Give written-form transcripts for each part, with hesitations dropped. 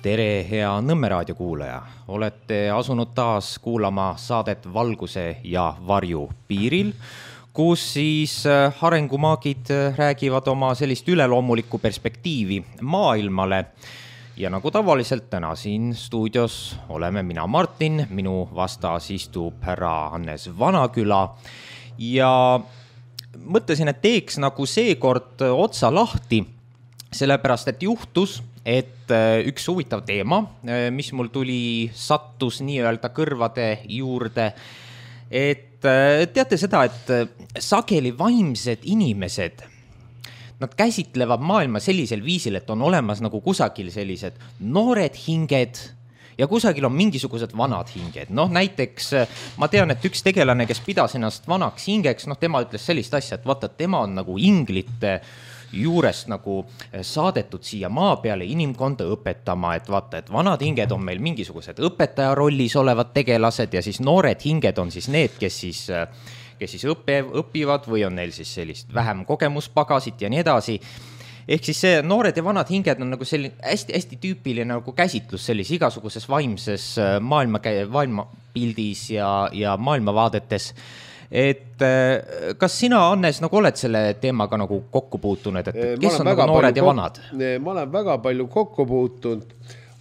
Tere, hea Nõmme raadio kuulaja. Olete asunud taas kuulama saadet Valguse ja varju piiril, kus siis arengumaagid räägivad oma sellist üleloomulikku perspektiivi maailmale. Ja nagu tavaliselt täna siin stuudios oleme mina Martin, minu vastas istub härra Hannes Vanaküla ja mõtlesin, et teeks nagu seekord otsa lahti, sellepärast et juhtus, et üks huvitav teema, mis mul sattus nii-öelda kõrvade juurde, et teate seda, et sageli vaimsed inimesed, nad käsitlevad maailma sellisel viisil, et on olemas nagu kusagil sellised noored hinged ja kusagil on mingisugused vanad hinged. Näiteks ma tean, et üks tegelane, kes pidas ennast vanaks hingeks, tema ütles sellist asja, et vaata, tema on nagu inglite juurest nagu saadetud siia maa peale inimkonda õpetama, et vaata, et vanad hinged on meil mingisugused õpetaja rollis olevad tegelased ja siis noored hinged on siis need, kes siis õpivad või on neil siis sellist vähem kogemuspagasit ja nii edasi. Ehk siis see noored ja vanad hinged on nagu selline hästi tüüpiline nagu käsitlus sellis igasuguses vaimses maailmapildis ja maailmavaadetes. Et kas sina, Hannes, nagu oled selle teemaga nagu kokku puutunud, et kes on nagu noored ja vanad? Ma olen väga palju kokku puutunud,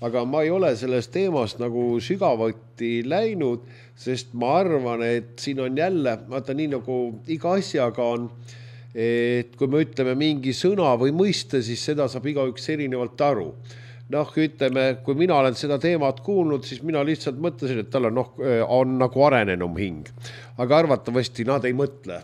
aga ma ei ole sellest teemast nagu sügavuti läinud, sest ma arvan, et siin on jälle, vaata nii nagu iga asjaga on, et kui me ütleme mingi sõna või mõiste, siis seda saab igaüks erinevalt aru. Ütleme, kui mina olen seda teemat kuulnud, siis mina lihtsalt mõtlesin, et tal on nagu arenenum hing. Aga arvatavasti nad ei mõtle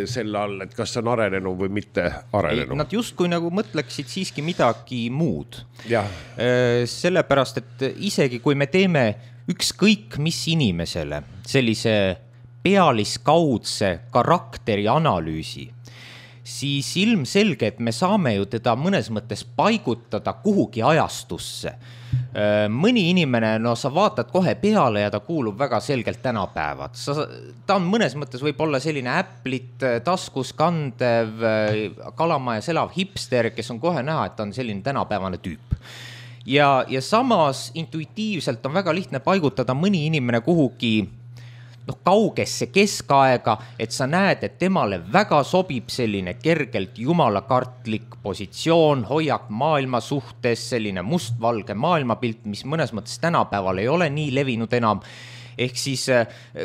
selle all, et kas on arenenum või mitte arenenum. Nad justkui nagu mõtleksid siiski midagi muud. Ja. Sellepärast, et isegi kui me teeme ükskõik mis inimesele sellise pealiskaudse karakteri analüüsi, siis ilmselge, et me saame ju teda mõnes mõttes paigutada kuhugi ajastusse. Mõni inimene, sa vaatad kohe peale ja ta kuulub väga selgelt tänapäevad. Ta on mõnes mõttes võib olla selline Apple'it taskus kandev, kalamajas elav hipster, kes on kohe näha, et ta on selline tänapäevane tüüp. Ja samas intuitiivselt on väga lihtne paigutada mõni inimene kuhugi kaugesse keskaega, et sa näed, et temale väga sobib selline kergelt jumalakartlik positsioon, hoiak maailma suhtes, selline mustvalge maailmapilt, mis mõnes mõttes tänapäeval ei ole nii levinud enam. Ehk siis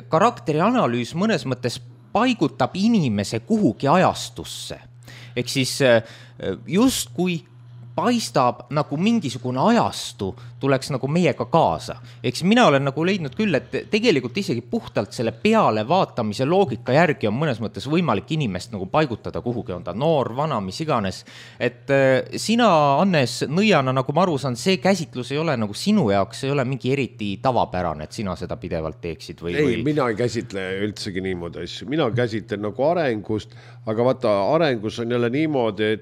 karakteri analüüs mõnes mõttes paigutab inimese kuhugi ajastusse. Ehk siis just kui paistab nagu mingisugune ajastu tuleks nagu meiega kaasa. Eks mina olen nagu leidnud küll, et tegelikult isegi puhtalt selle peale vaatamise loogika järgi on mõnes mõttes võimalik inimest nagu paigutada kuhugi, on ta noor, vana, mis iganes. Et sina, Hannes, nõiana, nagu ma aru saan, see käsitlus ei ole nagu sinu jaoks, ei ole mingi eriti tavapärane, et sina seda pidevalt teeksid või? Ei, mina ei käsitle üldsegi niimoodi asju. Mina käsitlen nagu arengust, aga vaata, arengus on jälle niimoodi,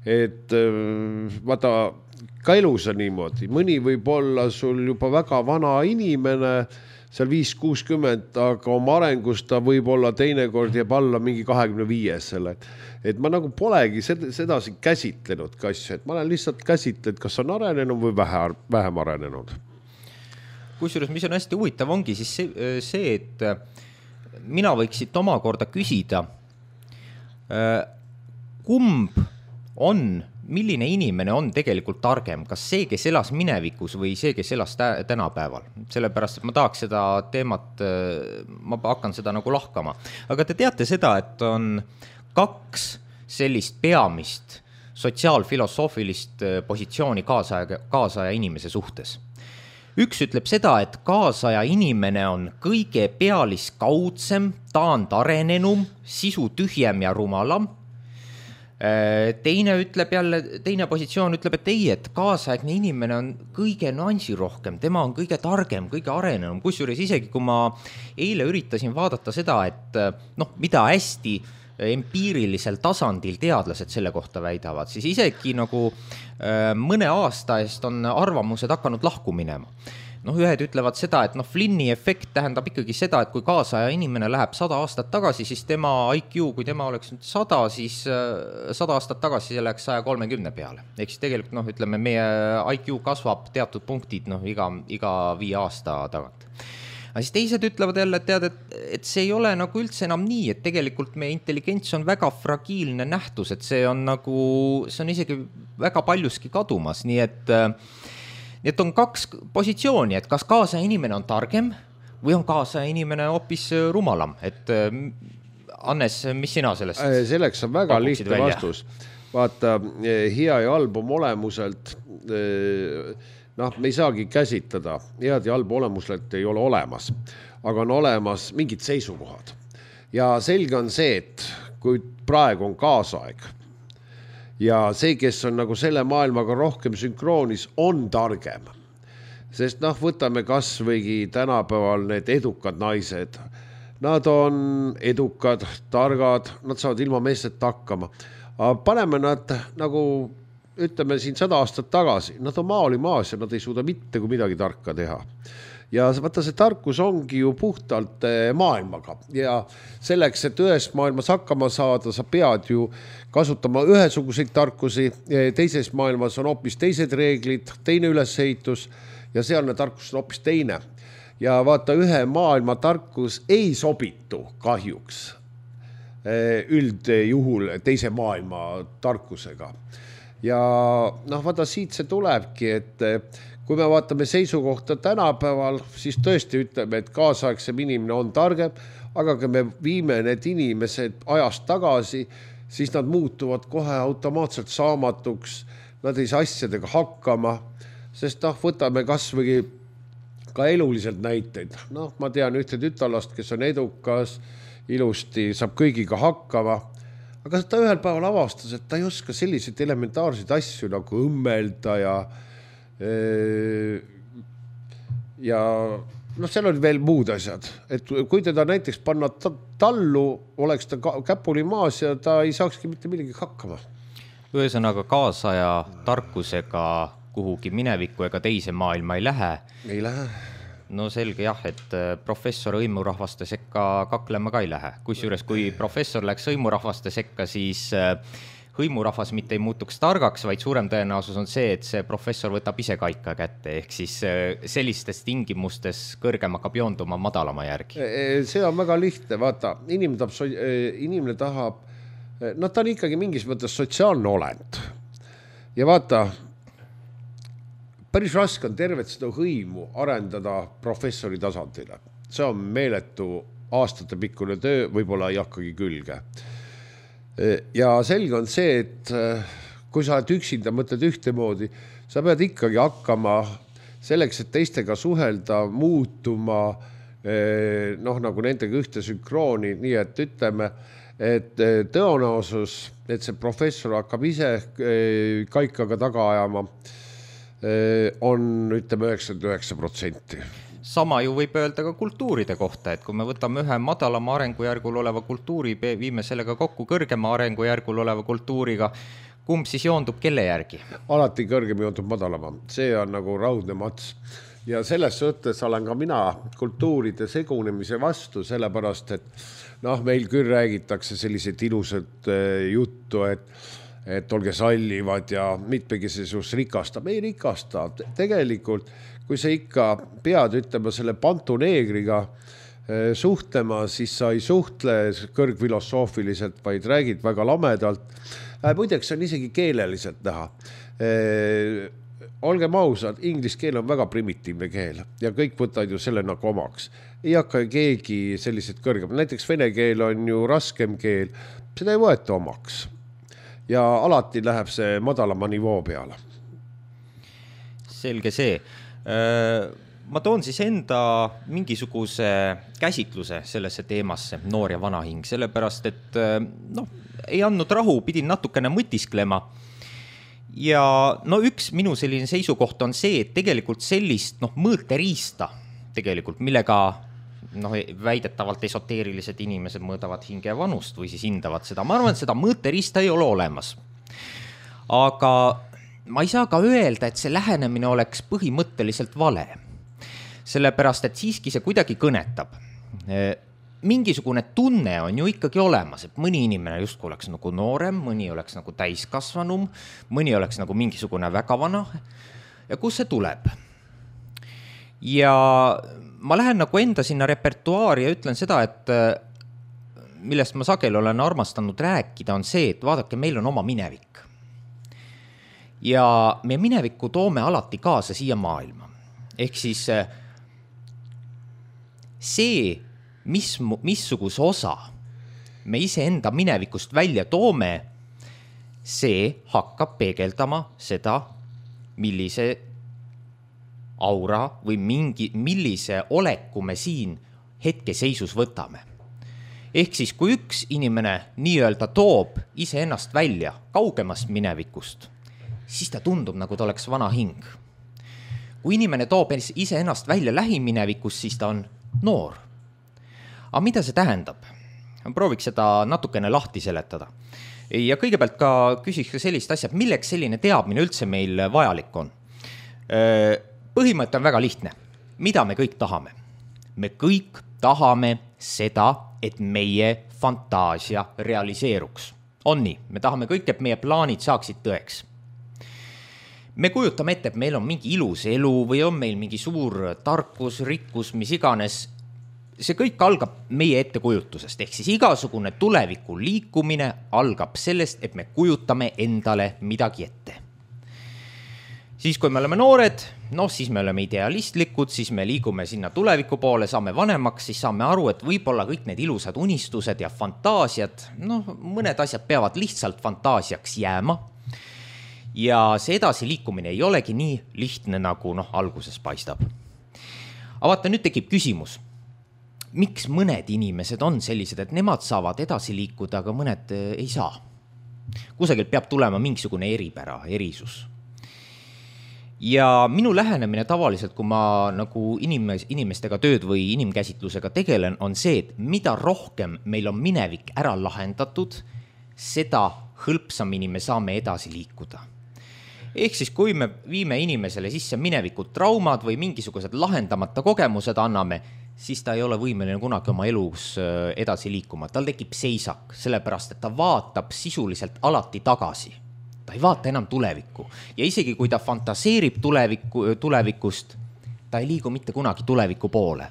et vaata, ka elus on niimoodi. Mõni võib olla sul juba väga vana inimene, seal 5-60, aga oma arengust ta võib olla teinekord jääb alla mingi 25 selle. Et ma nagu polegi sedasi käsitlenud ka asju, et ma olen lihtsalt käsitlenud, kas on arenenud või vähem arenenud. Kusjuures, mis on hästi huvitav, ongi siis see, et mina võiksid omakorda küsida, kumb milline inimene on tegelikult targem, kas see, kes elas minevikus või see, kes elas tänapäeval. Sellepärast, et ma tahaks seda teemat, ma hakkan seda nagu lahkama. Aga te teate seda, et on 2 sellist peamist sotsiaalfilosoofilist positsiooni kaasaja inimese suhtes. Üks ütleb seda, et kaasaja inimene on kõige pealiskaudsem, taandarenenum, sisu tühjem ja rumalam. Teine positsioon ütleb, et ei, et kaasaegne inimene on kõige nüansi rohkem, tema on kõige targem, kõige arenenum. Kusjuures isegi, kui ma eile üritasin vaadata seda, et mida hästi empiirilisel tasandil teadlased selle kohta väidavad, siis isegi nagu mõne aasta eest on arvamused hakanud lahku minema. noh, ühed ütlevad seda, et noh, Flynni efekt tähendab ikkagi seda, et kui kaasaja inimene läheb 100 aastat tagasi, siis tema IQ, kui tema oleks nüüd 100, siis 100 aastat tagasi see läks 130 peale. Ehk siis tegelikult noh, ütleme, meie IQ kasvab teatud punktid noh, iga 5 aasta tagant. Aga siis teised ütlevad jälle, et tead, et see ei ole nagu üldse enam nii, et tegelikult meie intelligents on väga fragiilne nähtus, et see on isegi väga paljuski kadumas, nii et on 2 positsiooni, et kas kaasaja inimene on targem või on kaasaja inimene hoopis rumalam, et Hannes, mis sina sellest? Selleks on väga lihtne vastus. Vaata, hea ja halb olemuselt, noh, me ei saagi käsitada, head ja halb olemuselt ei ole olemas, aga on olemas mingid seisukohad. Ja selge on see, et kui praegu on kaasaeg, ja see, kes on nagu selle maailmaga rohkem sünkroonis, on targem. Sest noh, võtame kas võigi tänapäeval need edukad naised. Nad on edukad, targad, nad saavad ilma meestelt hakkama. Aga paneme nad nagu, ütleme siin 100 aastat tagasi, nad on maali maas ja nad ei suuda mitte kui midagi tarka teha. Ja vaata, see tarkus ongi ju puhtalt maailmaga ja selleks, et ühest maailmas hakkama saada, sa pead ju kasutama ühesuguseid tarkusi, teises maailmas on hoopis teised reeglid, teine ülesehitus ja sealne tarkus on hoopis teine. Ja vaata, ühe maailma tarkus ei sobitu kahjuks üldjuhul teise maailma tarkusega. Ja noh, vaata, siit see tulebki, et kui me vaatame seisukohta tänapäeval, siis tõesti ütleme, et kaasaegsem inimene on targem, aga kui me viime need inimesed ajast tagasi, siis nad muutuvad kohe automaatselt saamatuks, nad ei saa asjadega hakkama, sest noh, võtame kas või ka eluliselt näiteid. Noh, ma tean ühte tütarlast, kes on edukas, ilusti saab kõigiga hakkama, aga ta ühel päeval avastas, et ta ei oska selliseid elementaarseid asju nagu õmmelda ja noh, seal oli veel muud asjad, et kui teda näiteks panna tallu, oleks ta käpuli maas ja ta ei saakski mitte millegi hakkama. Ühesõnaga kaasaja tarkusega kuhugi minevikku ega teise maailma ei lähe. Ei lähe. No selge jah, et professor hõimurahvaste sekka kaklema ka ei lähe. Kusjuures kui professor läks hõimurahvaste sekka, siis hõimurahvas mitte ei muutuks targaks, vaid suurem tõenäosus on see, et see professor võtab ise kaika kätte, ehk siis sellistes tingimustes kõrgem hakkab joonduma madalama järgi. See on väga lihtne, vaata, inimene tahab, no ta on ikkagi mingis mõttes sotsiaalne olend. Ja vaata, päris raske on tervet seda hõimu arendada professori tasandile. See on meeletu aastate pikkune töö, võib-olla ei hakkagi külge. Ja selge on see, et kui sa oled üksinda, mõtled ühtemoodi, sa pead ikkagi hakkama selleks, et teistega suhelda, muutuma, noh, nagu nendega ühte sünkrooni, nii et ütleme, et tõenäosus, et see professor hakkab ise kaikaga taga ajama, on, ütleme, 99%. Sama ju võib öelda ka kultuuride kohta, et kui me võtame ühe madalama arengujärgul oleva kultuuri, viime sellega kokku kõrgema arengujärgul oleva kultuuriga, kumb siis joondub kelle järgi? Alati kõrgem joondub madalama. See on nagu raudne mats. Ja selles suhtes olen ka mina kultuuride segunemise vastu, sellepärast, et noh, meil küll räägitakse sellised ilusad juttu, et olge sallivad ja mitmekisesus rikastab. Ei rikasta. Tegelikult kui sa ikka pead ütlema selle pantuneegriga suhtlema, siis sa ei suhtle kõrgfilosoofiliselt, vaid räägid väga lamedalt. Muideks on isegi keeleliselt näha. Olgem ausad, inglise keel on väga primitiivne keel ja kõik võtavad ju selle nagu omaks. Ei hakka keegi sellised kõrgem. Näiteks vene keel on ju raskem keel, seda ei võeta omaks. Ja alati läheb see madalama nivoo peale. Selge see. Ma toon siis enda mingisuguse käsitluse sellesse teemasse, noor ja vana hing, sellepärast, et noh, ei andnud rahu, pidin natukene mõtisklema. Ja no üks minu selline seisukoht on see, et tegelikult sellist mõõteriista tegelikult, millega väidetavalt esoteerilised inimesed mõõdavad hinge ja vanust või siis hindavad seda. Ma arvan, et seda mõõteriista ei ole olemas. Aga ma ei saa ka öelda, et see lähenemine oleks põhimõtteliselt vale. sellepärast, et siiski see kuidagi kõnetab. Mingisugune tunne on ju ikkagi olemas, et mõni inimene justkui oleks nagu noorem, mõni oleks nagu täiskasvanum, mõni oleks nagu mingisugune väga vana. Ja kus see tuleb? Ja ma lähen nagu enda sinna repertuaari ja ütlen seda, et millest ma sageli olen armastanud rääkida, on see, et vaadake, meil on oma minevik. Ja meie minevikku toome alati kaasa siia maailma. Ehk siis see, missuguse osa me iseenda minevikust välja toome, see hakkab peegeldama seda, millise aura või millise oleku me siin hetkeseisus võtame. Ehk siis, kui üks inimene nii-öelda toob iseennast välja kaugemast minevikust, siis ta tundub, nagu ta oleks vana hing. Kui inimene toob iseennast välja lähiminevikust, siis ta on noor. Aga mida see tähendab? Prooviks seda natukene lahti seletada. Ja kõigepealt ka küsiks sellist asja, milleks selline teadmine üldse meil vajalik on. Põhimõte on väga lihtne. Mida me kõik tahame? Me kõik tahame seda, et meie fantaasia realiseeruks. On nii, me tahame kõik, et meie plaanid saaksid tõeks. Me kujutame ette, et meil on mingi ilus elu või on meil mingi suur tarkus, rikkus, mis iganes. See kõik algab meie ettekujutusest, ehk siis igasugune tuleviku liikumine algab sellest, et me kujutame endale midagi ette. Siis, kui me oleme noored, siis me oleme idealistlikud, siis me liigume sinna tuleviku poole, saame vanemaks, siis saame aru, et võib-olla kõik need ilusad unistused ja fantaasiad, mõned asjad peavad lihtsalt fantaasiaks jääma. Ja see edasi liikumine ei olegi nii lihtne, nagu alguses paistab. Aga vaata, nüüd tekib küsimus, miks mõned inimesed on sellised, et nemad saavad edasi liikuda, aga mõned ei saa? Kusagil peab tulema mingisugune eripära, erisus. Ja minu lähenemine tavaliselt, kui ma nagu inimestega tööd või inimkäsitlusega tegelen, on see, et mida rohkem meil on minevik ära lahendatud, seda hõlpsamini me saame edasi liikuda. Ehk siis, kui me viime inimesele sisse minevikud traumad või mingisugused lahendamata kogemused anname, siis ta ei ole võimeline kunagi oma elus edasi liikuma. Tal tekib seisak, sellepärast, et ta vaatab sisuliselt alati tagasi. Ta ei vaata enam tulevikku. Ja isegi kui ta fantaseerib tulevikust, ta ei liigu mitte kunagi tuleviku poole.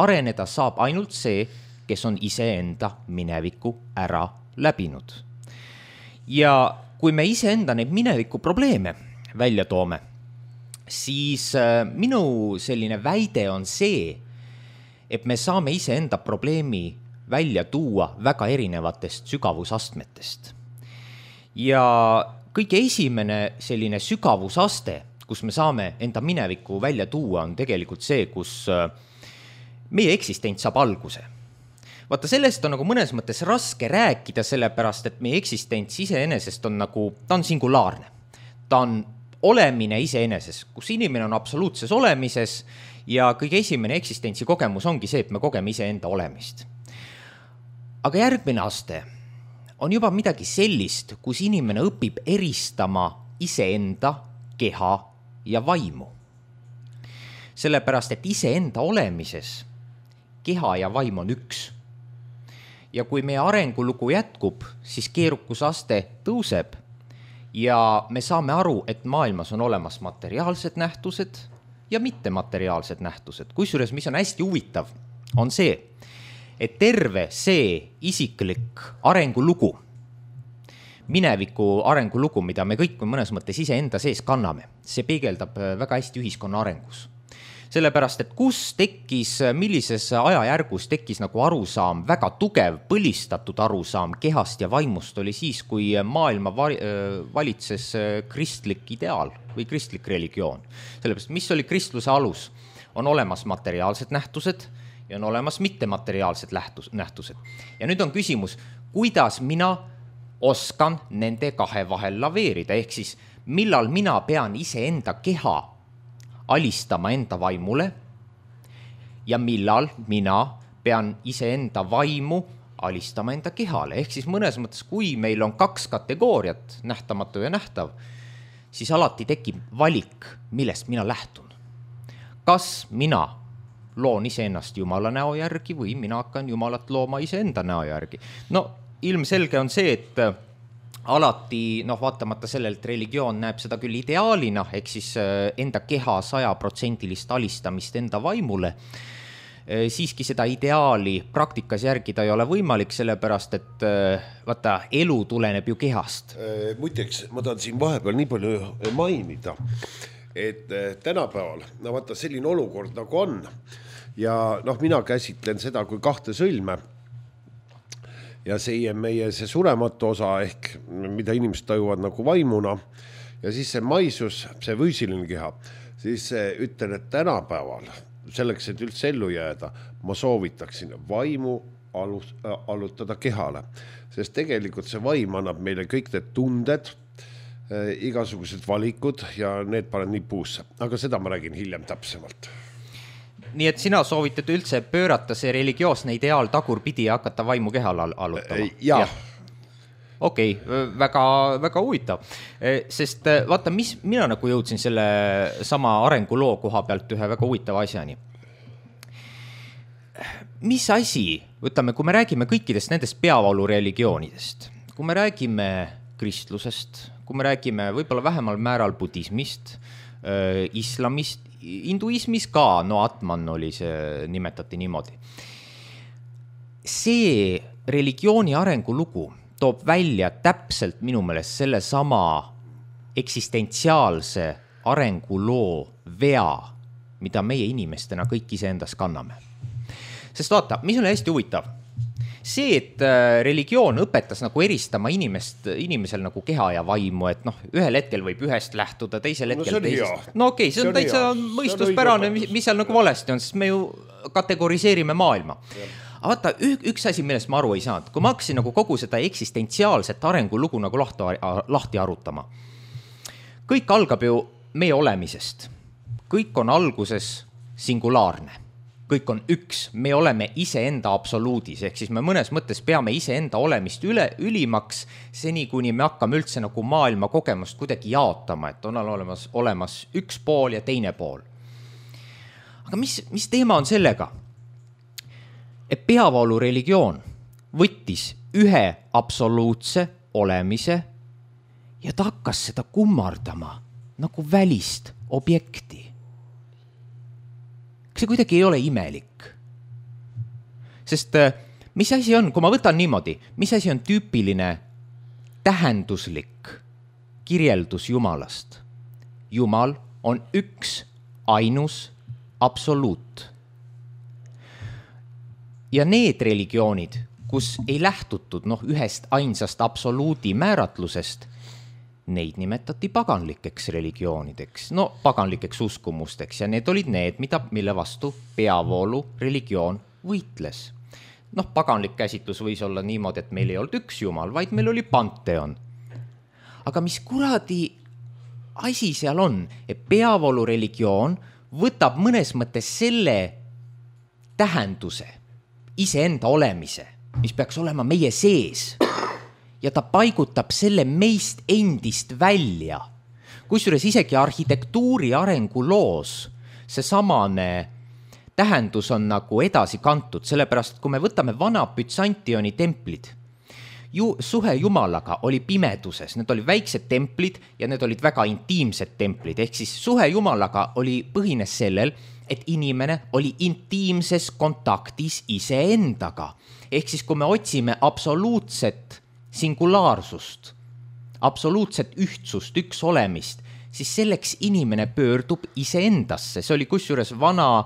Areneda saab ainult see, kes on iseenda mineviku ära läbinud. Ja kui me iseenda neid mineviku probleeme välja toome, siis minu selline väide on see, et me saame iseenda probleemi välja tuua väga erinevatest sügavusastmetest. Ja kõige esimene selline sügavusaste, kus me saame enda minevikku välja tuua, on tegelikult see, kus meie eksistents saab alguse. Vaata, sellest on nagu mõnes mõttes raske rääkida, sellepärast, et meie eksistents iseenesest on nagu, ta on singulaarne. Ta on olemine iseeneses, kus inimene on absoluutses olemises ja kõige esimene eksistentsi kogemus ongi see, et me kogeme iseenda olemist. Aga järgmine aste on juba midagi sellist, kus inimene õpib eristama iseenda, keha ja vaimu. Sellepärast, et iseenda olemises keha ja vaim on üks. Ja kui meie arengulugu jätkub, siis keerukusaste tõuseb ja me saame aru, et maailmas on olemas materiaalsed nähtused ja mittemateriaalsed nähtused. Kusjuures, mis on hästi huvitav, on see, et terve see isiklik arengulugu, mineviku arengulugu, mida me kõik mõnes mõttes iseenda sees kanname, see peegeldab väga hästi ühiskonna arengus. Sellepärast, et kus tekkis, millises ajajärgus tekkis nagu arusaam, väga tugev, põlistatud arusaam kehast ja vaimust oli siis, kui maailma valitses kristlik ideaal või kristlik religioon. Sellepärast, mis oli kristluse alus? On olemas materiaalsed nähtused ja on olemas mittemateriaalsed nähtused. Ja nüüd on küsimus, kuidas mina oskan nende kahe vahel laveerida, ehk siis millal mina pean iseenda keha alistama enda vaimule ja millal mina pean iseenda vaimu alistama enda kehale. Ehk siis mõnes mõttes, kui meil on kaks kategooriat, nähtamatu ja nähtav, siis alati tekib valik, millest mina lähtun. Kas mina loon iseennast Jumala näo järgi või mina hakkan Jumalat looma iseenda näo järgi. No ilmselge on see, et alati, vaatamata sellelt religioon näeb seda küll ideaalina, ehk siis enda keha 100% alistamist enda vaimule, siiski seda ideaali praktikas järgida ei ole võimalik, sellepärast et vaata, elu tuleneb ju kehast. Muideks, ma tahan siin vahepeal nii palju mainida, et tänapäeval, vaata selline olukord nagu on ja mina käsitlen seda kui 2 sõlme ja meie see surematu osa ehk mida inimesed tajuvad nagu vaimuna ja siis see maisus, see füüsiline keha, siis ütlen, et tänapäeval selleks, et üldse ellu jääda, ma soovitaksin vaimu allutada kehale, sest tegelikult see vaim annab meile kõik need tunded, igasugused valikud ja need panen nii puusse, aga seda ma räägin hiljem täpsemalt. Nii et sina soovitad üldse pöörata see religioosne ideaal tagurpidi ja hakata vaimu kehal allutama? Jah. Okei, väga, väga huvitav. Sest vaata, mina nagu jõudsin selle sama arenguloo koha pealt ühe väga huvitava asjani. Mis asi, võtame, kui me räägime kõikidest nendest peavoolureligioonidest, kui me räägime kristlusest, kui me räägime võib-olla vähemal määral budismist, islamist, hinduismis ka, Atman oli see, nimetati niimoodi. See religiooni arengulugu toob välja täpselt minu meelest selle sama eksistentsiaalse arenguloo vea, mida meie inimestena kõik iseendas kanname. Sest vaata, mis on hästi huvitav? See, et religioon õpetas nagu eristama inimesel nagu keha ja vaimu, et ühel hetkel võib ühest lähtuda, teisel hetkel teisest. Okei, see on täitsa mõistuspärane, mis seal nagu valesti on, sest me ju kategoriseerime maailma. Aga vaata, üks asi, millest ma aru ei saanud, kui ma hakkasin nagu kogu seda eksistentsiaalset arengulugu nagu lahti arutama. Kõik algab ju meie olemisest. Kõik on alguses singulaarne. Kõik on üks, me oleme iseenda absoluudis, ehk siis me mõnes mõttes peame iseenda olemist ülimaks, seni kuni me hakkame üldse nagu maailma kogemust kuidagi jaotama, et on olemas üks pool ja teine pool. Aga mis teema on sellega? Et peavoolu religioon võttis ühe absoluutse olemise ja ta hakkas seda kummardama nagu välist objekti. See kuidagi ei ole imelik. Sest mis asi on, kui ma võtan niimoodi, mis asi on tüüpiline tähenduslik kirjeldus Jumalast? Jumal on üks, ainus, absoluut. Ja need religioonid, kus ei lähtutud ühest ainsast absoluudi määratlusest, neid nimetati paganlikeks religioonideks, paganlikeks uskumusteks ja need olid need, mille vastu peavoolu religioon võitles. Paganlik käsitlus võis olla niimoodi, et meil ei olnud üks Jumal, vaid meil oli panteon. Aga mis kuradi asi seal on, et peavoolu religioon võtab mõnes mõttes selle tähenduse, iseenda olemise, mis peaks olema meie sees, ja ta paigutab selle meist endist välja. Kusjuures isegi arhitektuuri arenguloos see samane tähendus on nagu edasi kantud, sellepärast kui me võtame vana Byzantioni templid, suhe Jumalaga oli pimeduses, need oli väiksed templid ja need olid väga intiimsed templid, ehk siis suhe Jumalaga põhines sellel, et inimene oli intiimses kontaktis iseendaga. Ehk siis kui me otsime absoluutset singulaarsust, absoluutset ühtsust, üks olemist, siis selleks inimene pöördub iseendasse. See oli kusjuures vana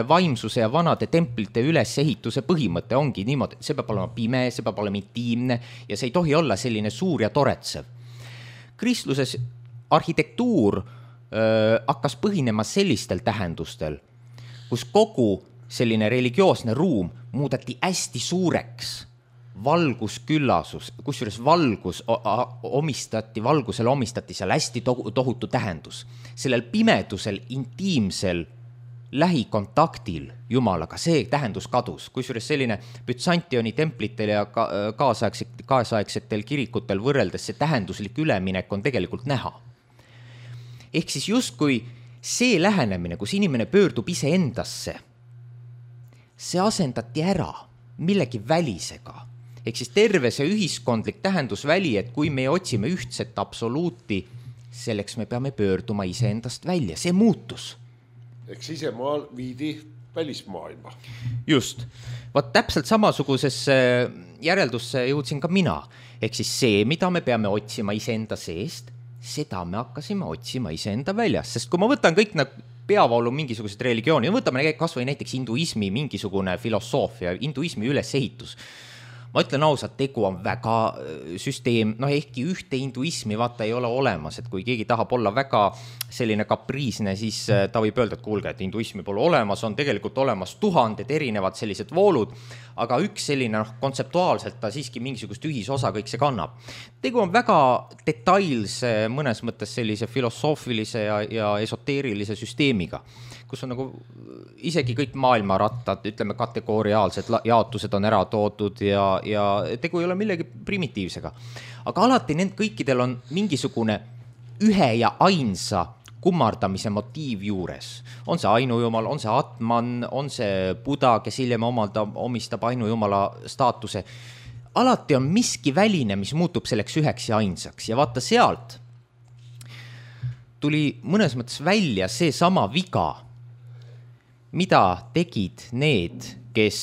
vaimsuse ja vanade templite ülesehituse põhimõte ongi niimoodi, see peab olema pime, see peab olema intiimne ja see ei tohi olla selline suur ja toretsev. Kristluses arhitektuur hakkas põhinema sellistel tähendustel, kus kogu selline religioosne ruum muudeti hästi suureks, valgusküllasus, kusjuures valgusele omistati seal hästi tohutu tähendus. Sellel pimedusel, intiimsel lähikontaktil Jumalaga, see tähendus kadus. Kusjuures selline Byzantioni templitel ja kaasaegsetel kirikutel võrreldes see tähenduslik üleminek on tegelikult näha. Ehk siis justkui see lähenemine, kus inimene pöördub iseendasse see asendati ära millegi välisega. Ehk siis terve see ühiskondlik tähendusväli, et kui me otsime ühtset absoluuti, selleks me peame pöörduma iseendast välja, see muutus. Ehk sisemaal viidi välismaailma. Just. Vaat täpselt samasugusesse järeldusse jõudsin ka mina. Ehk siis see, mida me peame otsima iseenda seest, seda me hakkasime otsima iseenda väljas. Sest kui ma võtan kõik peavoolu mingisugused religiooni, võtame kas või näiteks hinduismi mingisugune filosoofia, hinduismi ülesehitus. Ma ütlen ausalt, tegu on väga süsteem, ehkki ühte hinduismi vaata ei ole olemas, et kui keegi tahab olla väga selline kapriisne, siis ta võib öelda, et kuulge, et hinduismi pole olemas, on tegelikult olemas tuhanded erinevad sellised voolud, aga üks selline kontseptuaalselt ta siiski mingisugust ühisosa kõik see kannab. Tegu on väga detailse, mõnes mõttes sellise filosoofilise ja esoteerilise süsteemiga, kus on nagu isegi kõik maailmarattad, ütleme kategooriaalsed jaotused on ära toodud ja tegu ei ole millegi primitiivsega. Aga alati kõikidel on mingisugune ühe ja ainsa kummardamise motiiv juures. On see ainujumal, on see Atman, on see Buda, kes hiljem omistab ainujumala staatuse. Alati on miski väline, mis muutub selleks üheks ja ainsaks. Ja vaata sealt tuli mõnes mõttes välja see sama viga, mida tegid need, kes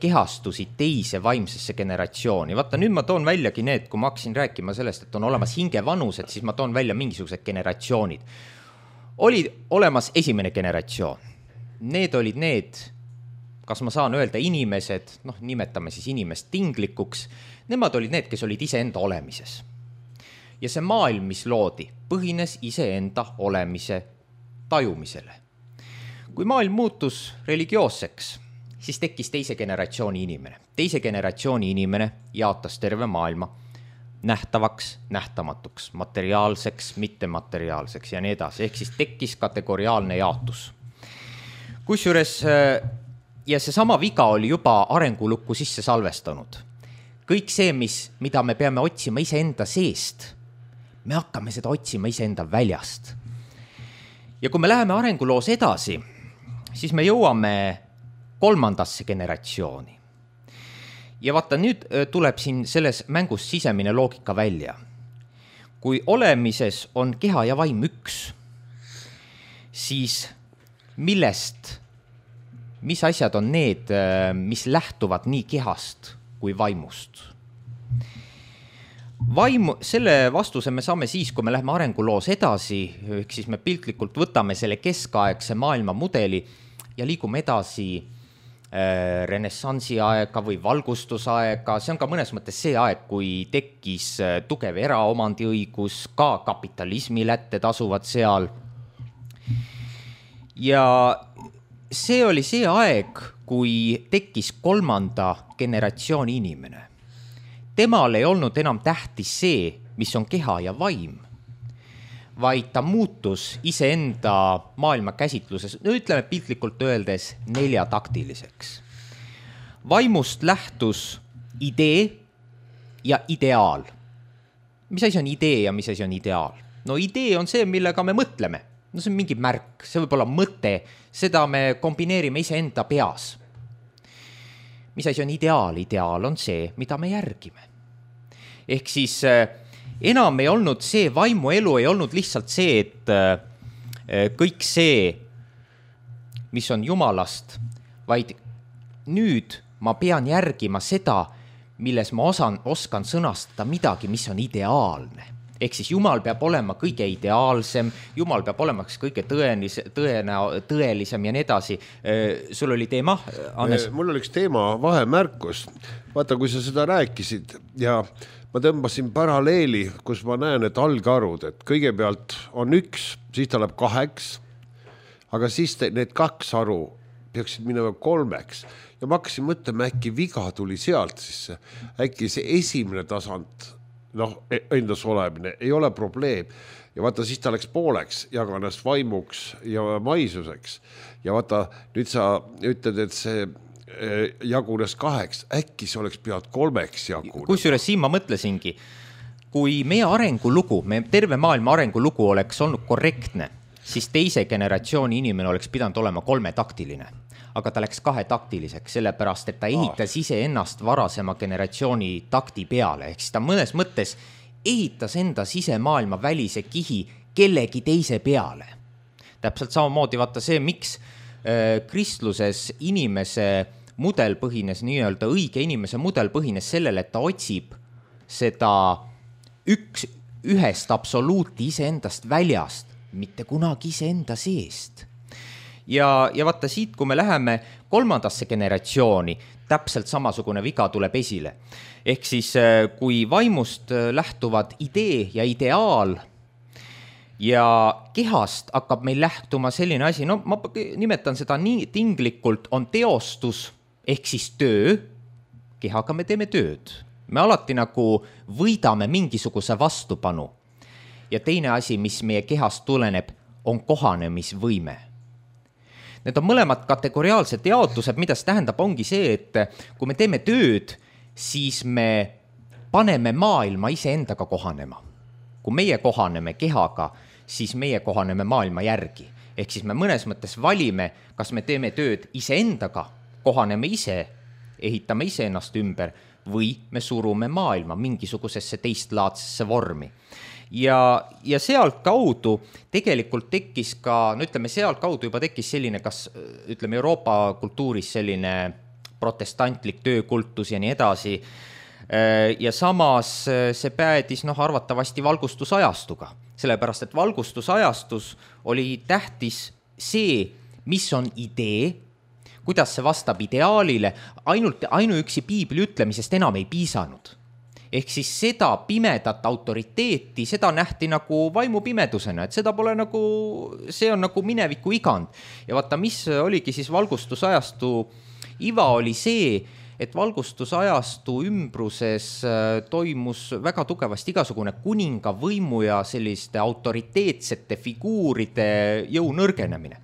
kehastusid teise vaimsesse generatsiooni. Vaata, nüüd ma toon väljagi need, kui ma hakkasin rääkima sellest, et on olemas hingevanused, siis ma toon välja mingisugused generatsioonid. Oli olemas esimene generatsioon. Need olid need, kas ma saan öelda inimesed, nimetame siis inimest tinglikuks, nemad olid need, kes olid iseenda olemises. Ja see maailm, mis loodi, põhines iseenda olemise tajumisele. Kui maailm muutus religioosseks, siis tekkis teise generatsiooni inimene. Teise generatsiooni inimene jaotas terve maailma nähtavaks, nähtamatuks, materiaalseks, mittemateriaalseks ja nii edasi. Ehk siis tekkis kategoriaalne jaotus. Kusjuures, ja see sama viga oli juba arengulukku sisse salvestanud. Kõik see, mida me peame otsima iseenda seest, me hakkame seda otsima iseenda väljast. Ja kui me läheme arenguloos edasi, siis me jõuame 3. generatsiooni. Ja vaata, nüüd tuleb siin selles mängus sisemine loogika välja. Kui olemises on keha ja vaim üks, siis mis asjad on need, mis lähtuvad nii kehast kui vaimust? Selle vastuse me saame siis, kui me läheme arenguloos edasi, ehk siis me piltlikult võtame selle keskaegse maailma mudeli ja liigume edasi renessansi aega või valgustusaega. See on ka mõnes mõttes see aeg, kui tekkis tugev eraomandiõigus, ka kapitalismi lätte tasuvad seal. Ja see oli see aeg, kui tekkis 3. generatsiooni inimene. Temal ei olnud enam tähtis see, mis on keha ja vaim, vaid ta muutus iseenda maailma käsitluses, ütleme piltlikult öeldes 4-taktiliseks. Vaimust lähtus idee ja ideaal. Mis asi on idee ja mis asi on ideaal? No idee on see, millega me mõtleme. No see on mingi märk, see võib olla mõte, seda me kombineerime iseenda peas. Mis asi on ideaal? Ideaal on see, mida me järgime. Ehk siis enam ei olnud see, vaimuelu ei olnud lihtsalt see, et kõik see, mis on Jumalast, vaid nüüd ma pean järgima seda, milles ma oskan sõnastada midagi, mis on ideaalne. Ehk siis Jumal peab olema kõige ideaalsem, Jumal peab olema kõige tõelisem ja nii edasi. Sul oli teema, Hannes? Mul oli üks teema vahemärkus. Vaata, kui sa seda rääkisid ja ma tõmbasin paralleeli, kus ma näen, et algarud, et kõigepealt on 1, siis ta läheb 2, aga siis need 2 aru peaksid minema 3. Ja ma hakkasin mõtlema, äkki viga tuli sealt sisse. Äkki see esimene tasand, endas olemine, ei ole probleem. Ja vaata, siis ta läks pooleks, jaganest vaimuks ja maisuseks. Ja vaata, nüüd sa ütled, et see jagunes 2, äkki see oleks pealt 3 jagunes. Kusjuures siin ma mõtlesingi, kui meie arengulugu, terve maailma arengulugu oleks olnud korrektne, siis teise generatsiooni inimene oleks pidanud olema 3-taktiline. aga ta läks kahetaktiliseks, sellepärast et ta ehitas iseennast varasema generatsiooni takti peale, ehk siis ta mõnes mõttes ehitas enda sisemaailma välise kihi kellegi teise peale. Täpselt samamoodi vaata see, miks kristluses inimese mudel põhines, nii-öelda õige inimese mudel põhines sellele, et ta otsib seda ühest absoluuti iseendast väljast, mitte kunagi iseenda seest. Ja vaata siit, kui me läheme kolmandasse generatsiooni, täpselt samasugune viga tuleb esile. Ehk siis, kui vaimust lähtuvad idee ja ideaal ja kehast hakkab meil lähtuma selline asi, no ma nimetan seda nii tinglikult, on teostus, ehk siis töö, kehaga me teeme tööd. Me alati nagu võidame mingisuguse vastupanu. Ja teine asi, mis meie kehast tuleneb, on kohanemisvõime. Need on mõlemad kategoriaalsed jaotused, mida see tähendab, ongi see, et kui me teeme tööd, siis me paneme maailma iseendaga kohanema. Kui meie kohaneme kehaga, siis meie kohaneme maailma järgi. Ehk siis me mõnes mõttes valime, kas me teeme tööd iseendaga, kohaneme ise, ehitame ise ennast ümber või me surume maailma mingisugusesse teistlaadsesse vormi. Ja sealt kaudu tegelikult tekkis ka, no ütleme, sealt kaudu juba tekkis selline, kas ütleme Euroopa kultuuris selline protestantlik töökultus ja nii edasi. Ja samas see päädis arvatavasti valgustusajastuga, sellepärast et valgustusajastus oli tähtis see, mis on idee, kuidas see vastab ideaalile, ainuüksi piibli ütlemisest enam ei piisanud. Ehk siis seda pimedat autoriteeti, seda nähti nagu vaimupimedusena, et seda pole nagu, see on nagu mineviku igand. Ja vaata, mis oligi siis valgustusajastu iva oli see, et valgustusajastu ümbruses toimus väga tugevasti igasugune kuninga võimu ja selliste autoriteetsete figuuride jõu nõrgenemine.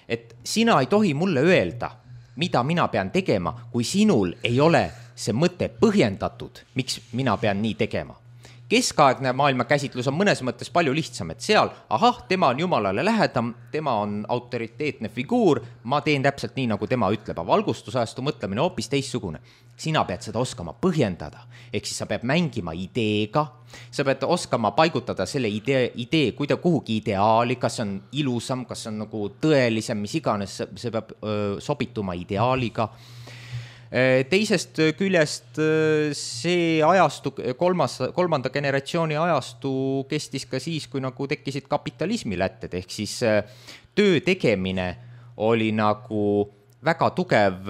Et sina ei tohi mulle öelda, mida mina pean tegema, kui sinul ei ole see mõte põhjendatud, miks mina pean nii tegema. Keskaegne maailmakäsitlus on mõnes mõttes palju lihtsam, et seal, tema on Jumalale lähedam, tema on autoriteetne figuur, ma teen täpselt nii, nagu tema ütleb, aga valgustusajastu mõtlemine hoopis teissugune. Sina pead seda oskama põhjendada, ehk siis sa pead mängima ideega, sa pead oskama paigutada selle idee kuhugi ideaali, kas on ilusam, kas on nagu tõelisem, mis iganes, see peab sobituma ideaaliga. Teisest küljest see ajastu, kolmanda generatsiooni ajastu kestis ka siis, kui nagu tekkisid kapitalismi lätted, ehk siis töö tegemine oli nagu väga tugev,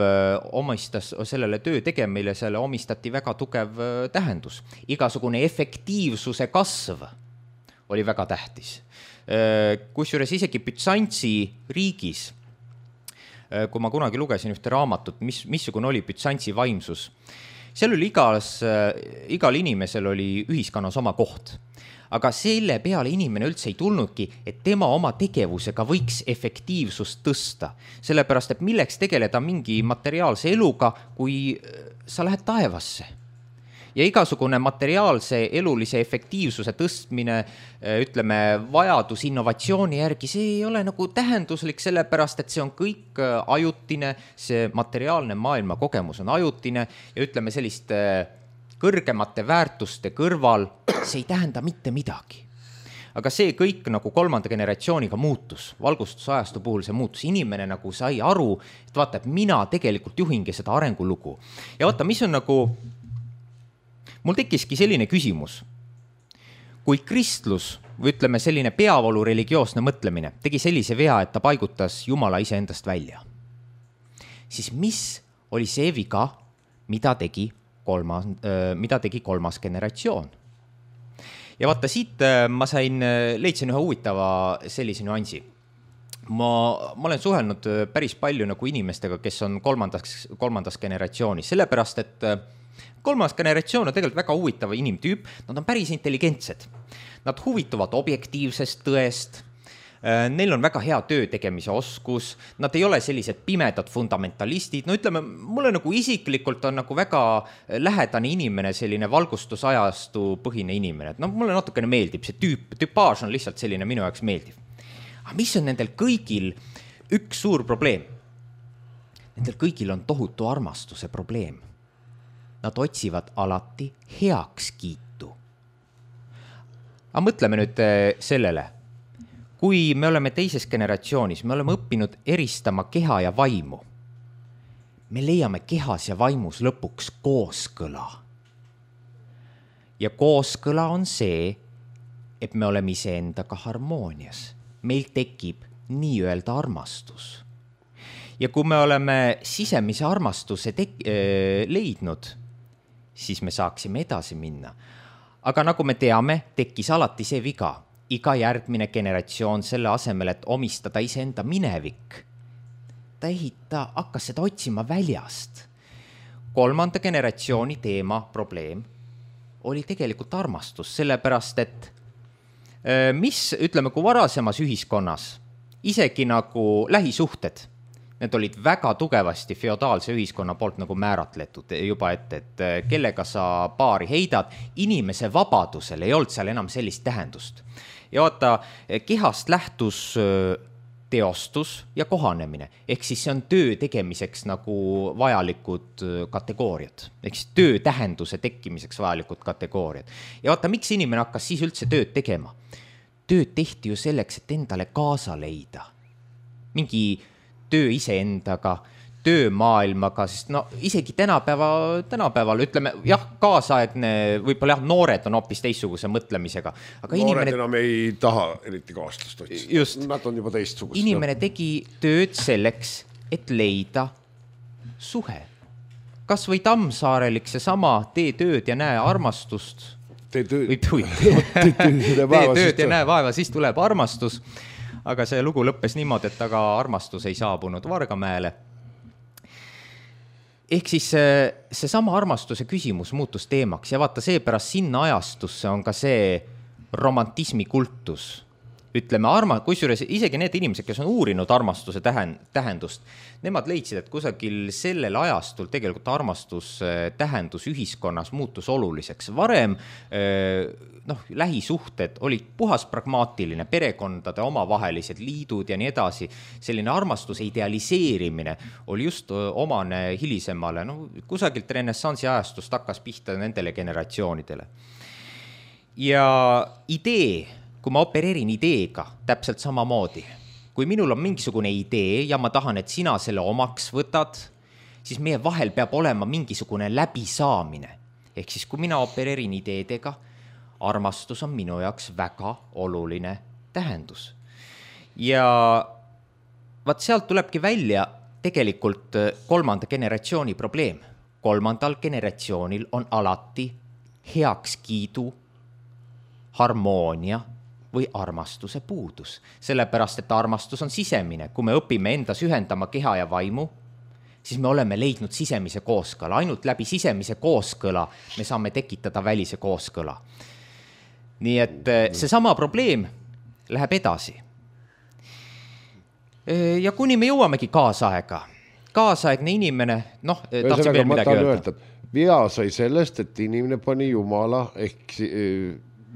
omistas sellele töö tegemile, selle omistati väga tugev tähendus. Igasugune efektiivsuse kasv oli väga tähtis. Kusjuures isegi Bütsantsi riigis, kui ma kunagi lugesin ühte raamatut, missugune oli Bütsantsi vaimsus, seal oli igal inimesel oli ühiskonnas oma koht. Aga selle peale inimene üldse ei tulnudki, et tema oma tegevusega võiks efektiivsust tõsta. Sellepärast, et milleks tegeleda mingi materiaalse eluga, kui sa lähed taevasse. Ja igasugune materiaalse elulise efektiivsuse tõstmine, ütleme, vajadus innovatsiooni järgi, see ei ole nagu tähenduslik, sellepärast, et see on kõik ajutine, see materiaalne maailma kogemus on ajutine ja ütleme sellist kõrgemate väärtuste kõrval, see ei tähenda mitte midagi. Aga see kõik nagu kolmanda generatsiooniga muutus, valgustusajastu puhul see muutus. Inimene nagu sai aru, et vaata, et mina tegelikult juhingi seda arengulugu. Ja vaata, mis on nagu, mul tekkiski selline küsimus. Kui kristlus, või ütleme selline peavoolu religioosne mõtlemine, tegi sellise vea, et ta paigutas Jumala ise endast välja, siis mis oli see viga, mida tegi kolmas generatsioon. Ja vaata, siit ma leidsin ühe huvitava sellise nüansi. Ma olen suhelnud päris palju nagu inimestega, kes on kolmandas generatsioonis, sellepärast, et kolmas generatsioon on tegelikult väga huvitava inimtüüp, nad on päris intelligentsed. Nad huvituvad objektiivsest tõest, neil on väga hea töö tegemise oskus, nad ei ole sellised pimedad fundamentalistid, no ütleme, mulle nagu isiklikult on nagu väga lähedane inimene, selline valgustusajastu põhine inimene, et mulle natukene meeldib, see tüpaaž on lihtsalt selline minu jaoks meeldiv. Aga mis on nendel kõigil üks suur probleem? nendel kõigil on tohutu armastuse probleem. Nad otsivad alati heakskiitu. Aga mõtleme nüüd sellele, kui me oleme teises generatsioonis, me oleme õppinud eristama keha ja vaimu. Me leiame kehas ja vaimus lõpuks kooskõla. Ja kooskõla on see, et me oleme iseendaga harmoonias. Meil tekib nii-öelda armastus. Ja kui me oleme sisemise armastuse leidnud, siis me saaksime edasi minna. Aga nagu me teame, tekkis alati see viga. Iga järgmine generatsioon selle asemel, et omistada iseenda minevik, ta hakkas seda otsima väljast. 3. generatsiooni teema probleem oli tegelikult armastus, sellepärast et ütleme, kui varasemas ühiskonnas, isegi nagu lähisuhted, need olid väga tugevasti feodaalse ühiskonna poolt nagu määratletud juba ette, et kellega sa paari heidad, inimese vabadusel ei olnud seal enam sellist tähendust. Ja vaata, kehast lähtus teostus ja kohanemine, ehk siis see on töö tegemiseks nagu vajalikud kategooriad, ehk siis töö tähenduse tekkimiseks vajalikud kategooriad. Ja vaata, miks inimene hakkas siis üldse tööd tegema? Tööd tehti ju selleks, et endale kaasa leida. Mingi töö iseendaga, töö maailmaga, sest no isegi tänapäeval ütleme, jah, kaasaegne, võib-olla jah, noored on hoopis teistsuguse mõtlemisega. Aga noored enam ei taha eriti kaaslast otsida. Just. Nad on juba teistsugust. Inimene tegi tööd selleks, et leida suhe. Kas või Tammsaarelik seesama tee tööd ja näe armastust. Tee tööd ja näe vaeva, siis tuleb armastus. Aga see lugu lõppes niimoodi, et aga armastus ei saabunud Vargamäele. Ehk siis seesama armastuse küsimus muutus teemaks ja vaata seepärast sinna ajastusse on ka see romantismi kultus. Ütleme, kusjuures isegi need inimesed, kes on uurinud armastuse tähendust, nemad leidsid, et kusagil sellel ajastul tegelikult armastus tähendus ühiskonnas muutus oluliseks. Varem lähisuhted olid puhas pragmaatiline, perekondade omavahelised liidud ja nii edasi. Selline armastuse idealiseerimine oli just omane hilisemale, kusagilt renessansi ajastust hakkas pihta nendele generatsioonidele. Ja idee, kui ma opereerin ideega täpselt samamoodi, kui minul on mingisugune idee ja ma tahan, et sina selle omaks võtad, siis meie vahel peab olema mingisugune läbisaamine. Ehk siis, kui mina opereerin ideedega, armastus on minu jaoks väga oluline tähendus. Ja vaat sealt tulebki välja tegelikult 3. generatsiooni probleem. 3. generatsioonil on alati heakskiidu, harmoonia või armastuse puudus. Sellepärast, et armastus on sisemine. Kui me õpime endas ühendama keha ja vaimu, siis me oleme leidnud sisemise kooskõla. Ainult läbi sisemise kooskõla me saame tekitada välise kooskõla. Nii et seesama probleem läheb edasi. Ja kuni me jõuamegi kaasaega. Kaasaegne inimene, tahtsin veel midagi öelda. Vea sai sellest, et inimene pani Jumala ehk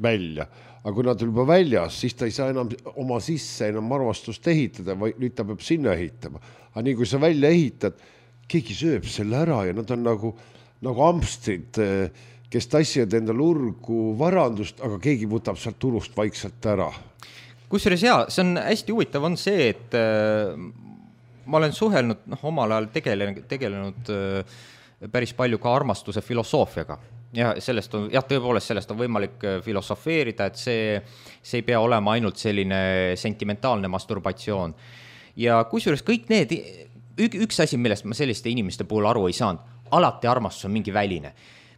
välja. Aga kui nad juba väljas, siis ta ei saa enam oma sisse enam armastust ehitada, või nüüd ta peab sinna ehitama. Aga nii kui sa välja ehitad, keegi sööb selle ära ja nad on nagu ampstrid, kes tassivad endale urgu varandust, aga keegi võtab sealt turust vaikselt ära. Kusjuures see on hästi huvitav on see, et ma olen suhelnud, omal ajal tegelenud päris palju ka armastuse filosoofiaga. Ja tõepoolest sellest on võimalik filosofeerida, et see ei pea olema ainult selline sentimentaalne masturbatsioon. Ja kusjuures kõik need, üks asi, millest ma selliste inimeste puhul aru ei saanud, alati armastus on mingi väline.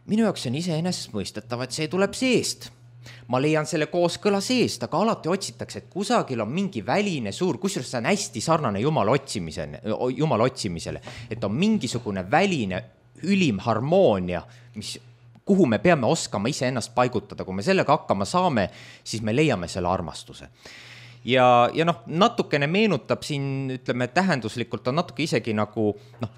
Minu jaoks on iseenesest mõistetav, et see tuleb seest. Ma leian selle kooskõla seest, aga alati otsitakse, et kusagil on mingi väline suur, kusjuures see on hästi sarnane Jumala otsimisele, et on mingisugune väline ülim harmoonia, kuhu me peame oskama iseennast paigutada. Kui me sellega hakkama saame, siis me leiame selle armastuse. ja noh, natukene meenutab siin, ütleme, tähenduslikult on natuke isegi nagu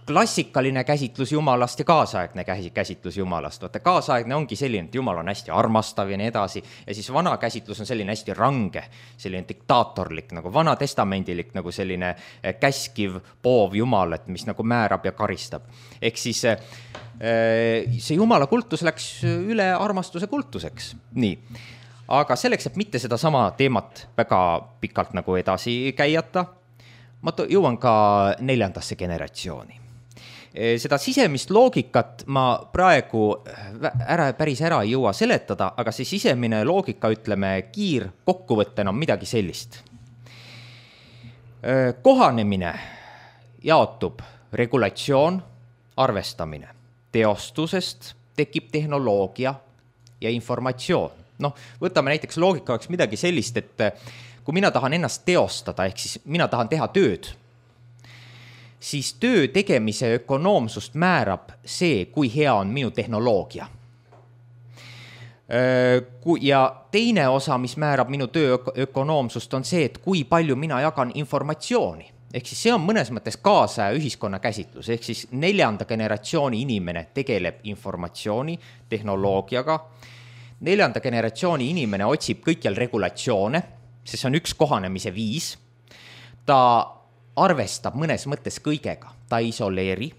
klassikaline käsitlus Jumalast ja kaasaegne käsitlus Jumalast. Vaata, kaasaegne ongi selline, et Jumal on hästi armastav ja nii edasi, ja siis vana käsitlus on selline hästi range, selline diktaatorlik, nagu vanatestamendilik, nagu selline käskiv, poov Jumal, et mis nagu määrab ja karistab. Ehk siis see Jumala kultus läks üle armastuse kultuseks. Nii. Aga selleks, et mitte seda sama teemat väga pikalt nagu edasi käiata, ma jõuan ka 4. generatsiooni. Seda sisemist loogikat ma praegu päris ära ei jõua seletada, aga see sisemine loogika, ütleme, kiirkokkuvõttena on midagi sellist. Kohanemine jaotub regulatsioon, arvestamine. Teostusest tekib tehnoloogia ja informatsioon. Noh, võtame näiteks loogika oleks midagi sellist, et kui mina tahan ennast teostada, ehk siis mina tahan teha tööd, siis töö tegemise ökonoomsust määrab see, kui hea on minu tehnoloogia. Ja teine osa, mis määrab minu töö ökonoomsust, on see, et kui palju mina jagan informatsiooni. Ehk siis see on mõnes mõttes kaasaja ühiskonna käsitlus, ehk siis 4. generatsiooni inimene tegeleb informatsiooni, tehnoloogiaga. 4. generatsiooni inimene otsib kõikjal regulatsioone, sest see on üks kohanemise viis. Ta arvestab mõnes mõttes kõigega, ta isoleeri.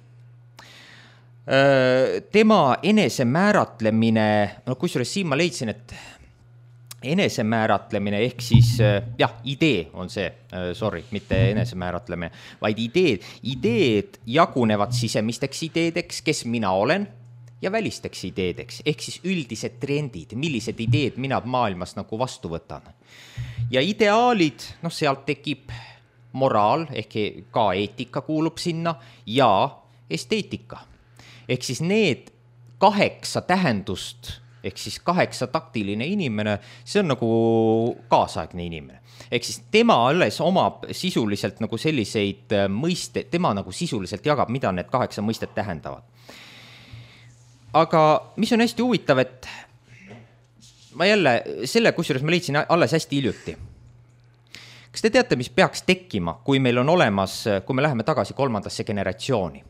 Tema enesemääratlemine, kusjuures siin ma leidsin, et enesemääratlemine ehk siis, idee on see, mitte enesemääratlemine, vaid ideed jagunevad sisemisteks ideedeks, kes mina olen, ja välisteks ideedeks, ehk siis üldised trendid, millised ideed mina maailmas nagu vastu võtan. Ja ideaalid, sealt tekib moraal, ehk ka eetika kuulub sinna, ja esteetika. Ehk siis need 8 tähendust, ehk siis 8 taktiline inimene, see on nagu kaasaegne inimene. Ehk siis tema alles omab sisuliselt nagu selliseid mõiste, tema nagu sisuliselt jagab, mida need 8 mõistet tähendavad. Aga mis on hästi huvitav, et ma jälle, kusjuures ma leidsin alles hästi hiljuti. Kas te teate, mis peaks tekkima, kui meil on olemas, kui me läheme tagasi 3. generatsiooni?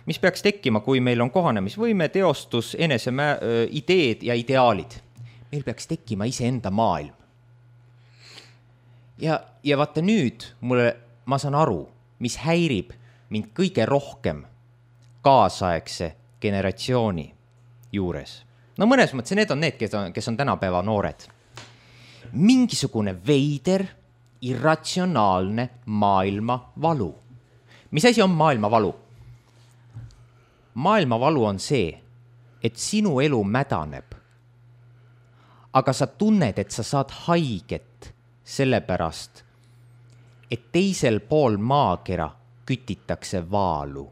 Mis peaks tekkima, kui meil on kohanemisvõime, teostus, ideed ja ideaalid? Meil peaks tekkima iseenda maailm. Ja vaata nüüd, ma saan aru, mis häirib mind kõige rohkem kaasaegse generatsiooni juures. Mõnes mõttes need on need, kes on tänapäeva noored. Mingisugune veider, irratsionaalne maailmavalu. Mis asi on maailmavalu? Maailmavalu on see, et sinu elu mädaneb, aga sa tunned, et sa saad haiget sellepärast, et teisel pool maakera kütitakse vaalu.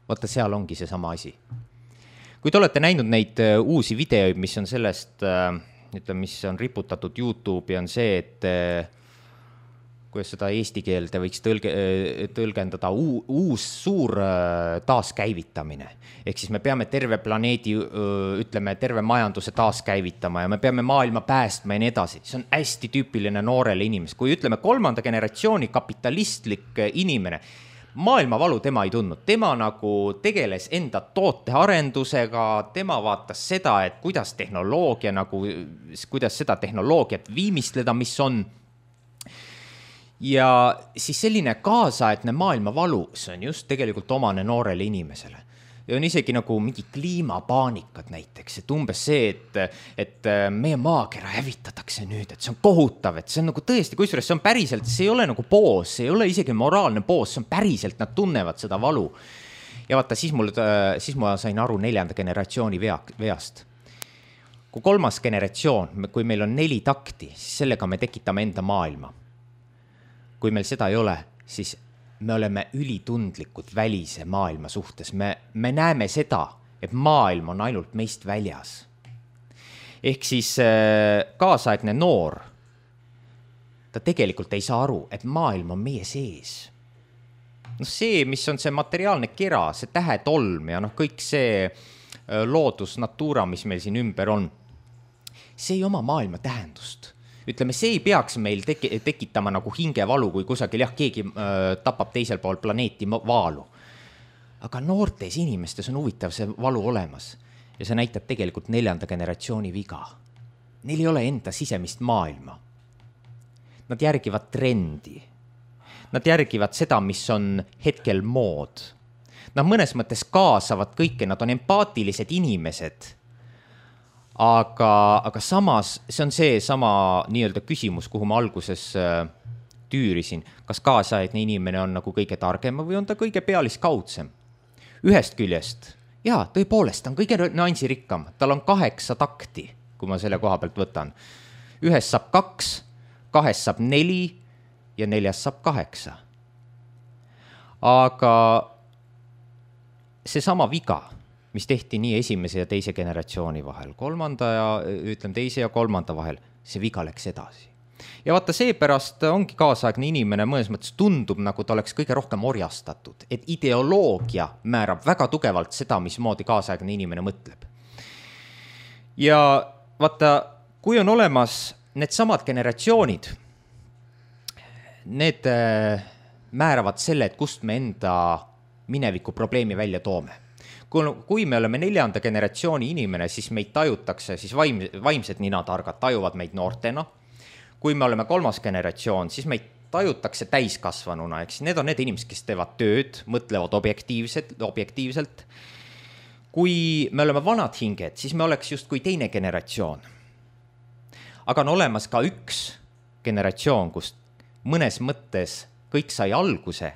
Vaata, seal ongi see sama asi. Kui te olete näinud neid uusi videoid, mis on sellest, mis on riputatud YouTube'i, on see, et kuidas seda eesti keelde võiks tõlgendada uus suur taaskäivitamine. Ehk siis me peame terve planeedi, terve majanduse taaskäivitama ja me peame maailma päästma ja nii edasi. See on hästi tüüpiline noorele inimest. Kui 3. generatsiooni kapitalistlik inimene, maailmavalu tema ei tundnud. Tema nagu tegeles enda tootearendusega, tema vaatas seda, et kuidas seda tehnoloogiat viimistleda, mis on. Ja siis selline kaasaegne maailmavalu, see on just tegelikult omane noorele inimesele. Ja on isegi nagu mingi kliimapaanikad näiteks, et umbes see, et meie maakera hävitatakse nüüd, et see on kohutav, et see on nagu tõesti, kusjuures see on päriselt, see ei ole nagu poos, see ei ole isegi moraalne poos, see on päriselt, nad tunnevad seda valu. Ja vaata, siis ma sain aru 4. generatsiooni veast. Kui 3. generatsioon, kui meil on 4 takti, siis sellega me tekitame enda maailma. Kui meil seda ei ole, siis me oleme ülitundlikud välise maailma suhtes. Me näeme seda, et maailm on ainult meist väljas. Ehk siis kaasaegne noor, ta tegelikult ei saa aru, et maailm on meie sees. See, mis on see materiaalne kera, see tähetolm ja kõik see loodus, natura, mis meil siin ümber on, see ei oma maailma tähendust. ütleme, see ei peaks meil tekitama nagu hingevalu, kui kusagil keegi tapab teisel pool planeeti vaalu. Aga noortes inimestes on huvitav see valu olemas ja see näitab tegelikult 4. generatsiooni viga. Neil ei ole enda sisemist maailma. Nad järgivad trendi. Nad järgivad seda, mis on hetkel mood. Nad mõnes mõttes kaasavad kõike, nad on empaatilised inimesed. Aga samas, see on see sama nii-öelda küsimus, kuhu ma alguses tüürisin. Kas kaasaegne inimene on nagu kõige targem või on ta kõige pealiskaudsem? Ühest küljest, tõepoolest, ta on kõige nüansirikkam. Tal on 8 takti, kui ma selle koha pealt võtan. Ühest saab 2, 2 saab 4 ja 4 saab 8. Aga see sama viga, mis tehti nii esimese ja teise generatsiooni vahel, teise ja kolmanda vahel, see viga läks edasi. Ja vaata, seepärast ongi kaasaegne inimene mõnes mõttes tundub, nagu ta oleks kõige rohkem orjastatud, et ideoloogia määrab väga tugevalt seda, mismoodi kaasaegne inimene mõtleb. Ja vaata, kui on olemas need samad generatsioonid, need määravad selle, et kust me enda mineviku probleemi välja toome. Kui me oleme 4. generatsiooni inimene, siis meid tajutakse, siis vaimsed ninatargad tajuvad meid noortena. Kui me oleme 3. generatsioon, siis meid tajutakse täiskasvanuna, eks need on need inimesed, kes teevad tööd, mõtlevad objektiivselt. Kui me oleme vanad hinged, siis me oleks just kui teine generatsioon. Aga on olemas ka üks generatsioon, kus mõnes mõttes kõik sai alguse,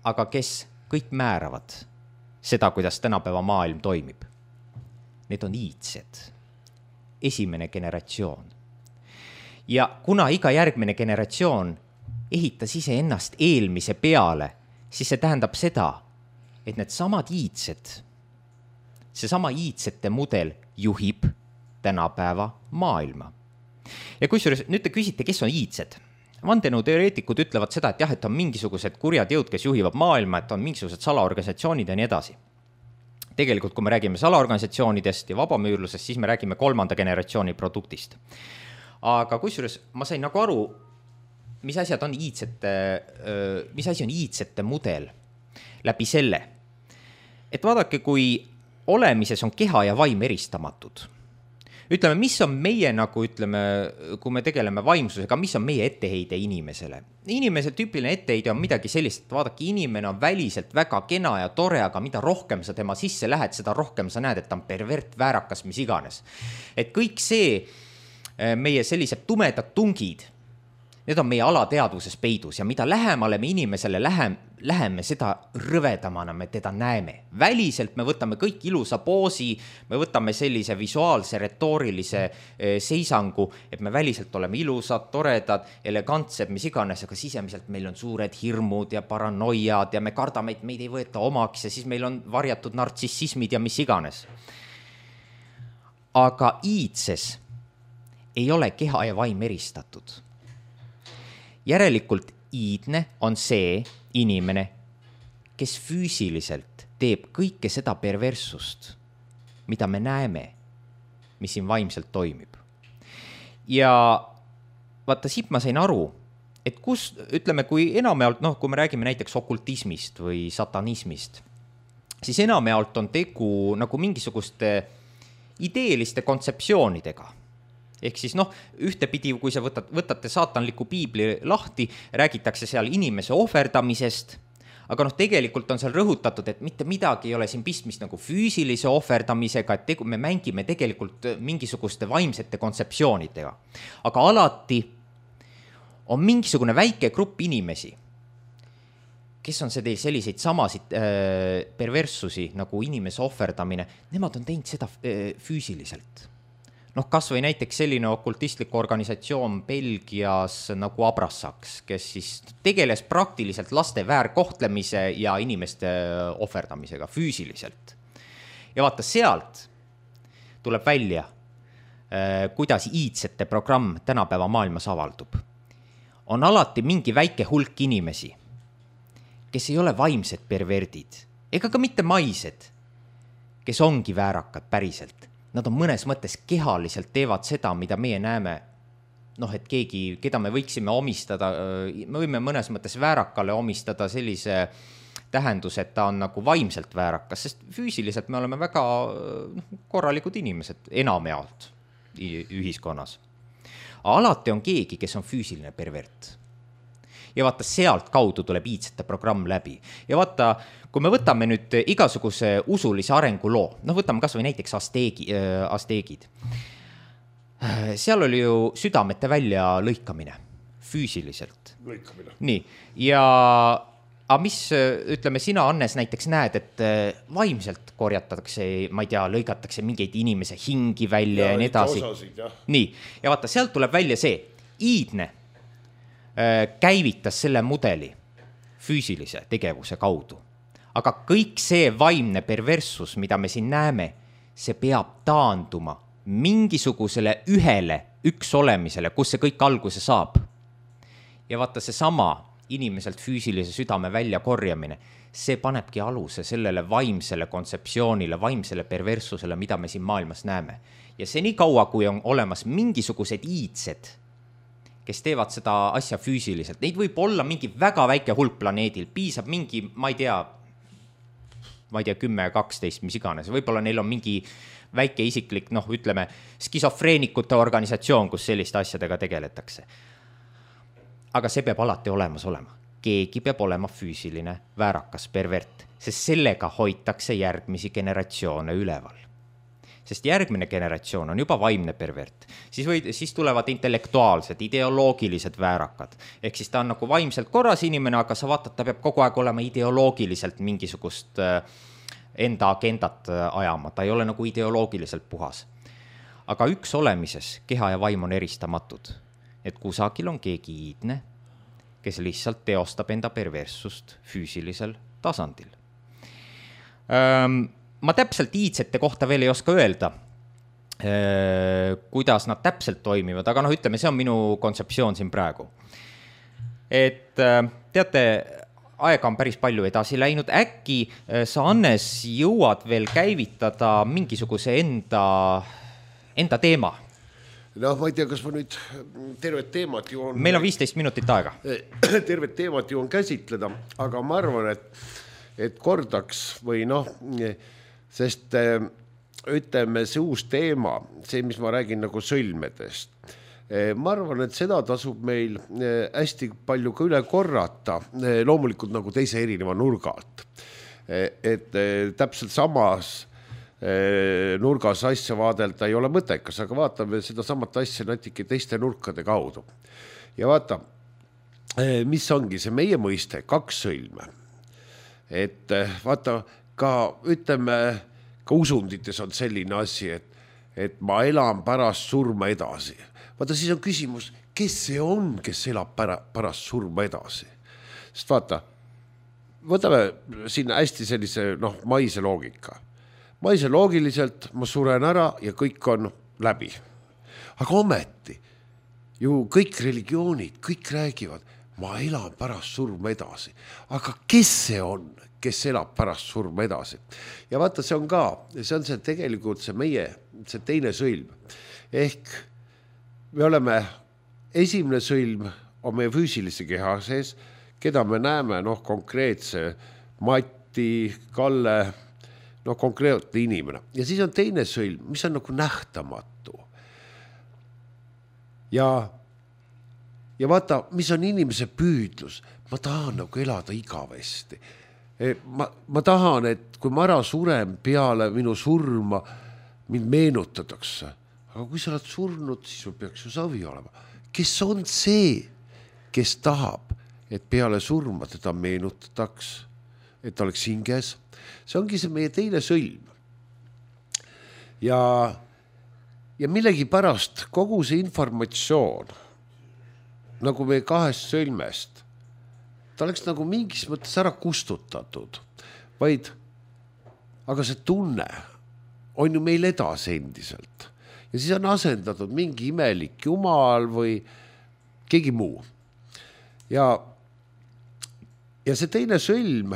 aga kes kõik määravad seda, kuidas tänapäeva maailm toimib. Need on iidsed. Esimene generatsioon. Ja kuna iga järgmine generatsioon ehitas ise ennast eelmise peale, siis see tähendab seda, et need samad iidsed, seesama iidsete mudel juhib tänapäeva maailma. Ja kusjuures nüüd te küsite, kes on iidsed? Vandenõuteoreetikud ütlevad seda, et et on mingisugused kurjad jõud, kes juhivad maailma, et on mingisugused salaorganisatsioonid ja nii edasi. Tegelikult, kui me räägime salaorganisatsioonidest ja vabamüürlusest, siis me räägime 3. generatsiooni produktist. Aga kusjuures ma sain nagu aru, mis asi on iidsete mudel läbi selle. Et vaadake, kui olemises on keha ja vaim eristamatud. Ütleme, mis on meie nagu, kui me tegeleme vaimsusega, mis on meie etteheide inimesele? Inimese tüüpiline etteheide on midagi sellist, et vaadake, inimene on väliselt väga kena ja tore, aga mida rohkem sa tema sisse lähed, seda rohkem sa näed, et ta on pervert, väärakas, mis iganes. Et kõik see meie sellised tumedad tungid, need on meie alateadvuses peidus ja mida lähemale me inimesele läheme, seda rõvedamana me teda näeme. Väliselt me võtame kõik ilusa poosi, me võtame sellise visuaalse, retoorilise seisangu, et me väliselt oleme ilusad, toredad, elegantsed, mis iganes, aga sisemiselt meil on suured hirmud ja paranoiad ja me kardame, et meid ei võeta omaks ja siis meil on varjatud nartsissismid ja mis iganes. Aga iidses ei ole keha ja vaim eristatud. Järelikult iidne on see inimene, kes füüsiliselt teeb kõike seda perverssust, mida me näeme, mis siin vaimselt toimib. Ja vaata, siit ma sain aru, et kui enamjaolt, kui me räägime näiteks okultismist või satanismist, siis enamjaolt on tegu nagu mingisuguste ideeliste kontseptsioonidega. Ehk siis ühtepidi, kui sa võtate saatanliku piibli lahti, räägitakse seal inimese ohverdamisest, aga tegelikult on seal rõhutatud, et mitte midagi ei ole siin pistmist nagu füüsilise ohverdamisega, et me mängime tegelikult mingisuguste vaimsete kontseptsioonidega. Aga alati on mingisugune väike grupp inimesi, kes on selliseid samasid perverssusi nagu inimese ohverdamine, nemad on teinud seda füüsiliselt. Kas või näiteks selline okultistlik organisatsioon Belgias nagu Abrassaks, kes siis tegeles praktiliselt laste väärkohtlemise ja inimeste ohverdamisega füüsiliselt. Ja vaata, sealt tuleb välja, kuidas iidsete programm tänapäeva maailmas avaldub. On alati mingi väike hulk inimesi, kes ei ole vaimsed perverdid, ega ka mitte maised, kes ongi väärakad päriselt. Nad on mõnes mõttes kehaliselt teevad seda, mida meie näeme et keegi, keda me võiksime omistada, me võime mõnes mõttes väärakale omistada sellise tähendus, et ta on nagu vaimselt väärakas, sest füüsiliselt me oleme väga korralikud inimesed enamjaolt ühiskonnas. Alati on keegi, kes on füüsiline pervert. Ja vaata, sealt kaudu tuleb iidsete programm läbi. Ja vaata, kui me võtame nüüd igasuguse usulise arenguloo, võtame kas või näiteks asteegid. Seal oli ju südamete välja lõikamine, füüsiliselt. Lõikamine. Nii, ja mis, ütleme, sina, Annes, näiteks näed, et vaimselt korjatatakse, ma ei tea, lõigatakse mingeid inimese hingi välja ja nii edasi. Nii, ja vaata, sealt tuleb välja see, iidne käivitas selle mudeli füüsilise tegevuse kaudu. Aga kõik see vaimne perverssus, mida me siin näeme, see peab taanduma mingisugusele üks olemisele, kus see kõik alguse saab. Ja vaata, see sama inimeselt füüsilise südame välja korjamine, see panebki aluse sellele vaimsele kontseptsioonile, vaimsele perverssusele, mida me siin maailmas näeme. Ja see nii kaua, kui on olemas mingisugused iidsed, kes teevad seda asja füüsiliselt. Neid võib olla mingi väga väike hulk planeedil, piisab mingi, ma ei tea 10, 12, mis iganes. Võib-olla neil on mingi väike isiklik, ütleme, skisofreenikute organisatsioon, kus selliste asjadega tegeletakse. Aga see peab alati olemas olema. Keegi peab olema füüsiline väärakas pervert, sest sellega hoitakse järgmisi generatsioone üleval. Sest järgmine generatsioon on juba vaimne pervert. Siis tulevad intellektuaalsed, ideoloogilised väärakad. Ehk siis ta on nagu vaimselt korras inimene, aga sa vaatad, ta peab kogu aeg olema ideoloogiliselt mingisugust enda agendat ajama. Ta ei ole nagu ideoloogiliselt puhas. Aga üks olemises, keha ja vaim on eristamatud. Et kusagil on keegi iidne, kes lihtsalt teostab enda perverssust füüsilisel tasandil. Ma täpselt iidsete kohta veel ei oska öelda, kuidas nad täpselt toimivad, aga ütleme, see on minu kontseptsioon siin praegu. Et teate, aega on päris palju edasi läinud, äkki sa, Annes, jõuad veel käivitada mingisuguse enda teema? Ma ei tea, kas ma nüüd tervet teemat jõuan... Meil on 15 minutit aega. Tervet teemat jõuan käsitleda, aga ma arvan, et kordaks või sest ütleme, see uus teema, see, mis ma räägin nagu sõlmedest, ma arvan, et seda tasub meil hästi palju ka üle korrata, loomulikult nagu teise erineva nurgalt. Et täpselt samas nurgas asja vaadelda ei ole mõttekas, aga vaatame seda samat asja natuke teiste nurkade kaudu. Ja vaata, mis ongi see meie mõiste, 2 sõlme. Et vaata, ka ütleme, ka usundites on selline asi, et ma elan pärast surma edasi. Vaata, siis on küsimus, kes see on, kes elab pärast surma edasi? Sest vaata, võtame siin hästi sellise maise loogika. Maise loogiliselt ma suren ära ja kõik on läbi. Aga ometi, ju kõik religioonid, kõik räägivad, ma elan pärast surma edasi. Aga kes see on, kes elab pärast surma edasi? Ja vaata, see on see tegelikult see meie, see teine sõlm. Ehk me oleme, esimene sõlm on meie füüsilise keha sees, keda me näeme konkreetse Mati, Kalle, konkreetne inimene. Ja siis on teine sõlm, mis on nagu nähtamatu. Ja vaata, mis on inimese püüdlus. Ma tahan nagu elada igavesti. Ma tahan, et kui ma ära surem peale minu surma, mind meenutatakse. Aga kui sa oled surnud, siis sul peaks ju savi olema. Kes on see, kes tahab, et peale surma teda meenutataks, et ta oleks hinges? See ongi see meie teine sõlm. Ja millegi pärast kogu see informatsioon, nagu meie 2 sõlmest, ta oleks nagu mingis mõttes ära kustutatud, aga see tunne on ju meil edasi endiselt. Ja siis on asendatud mingi imelik jumal või keegi muu. Ja see teine sõlm,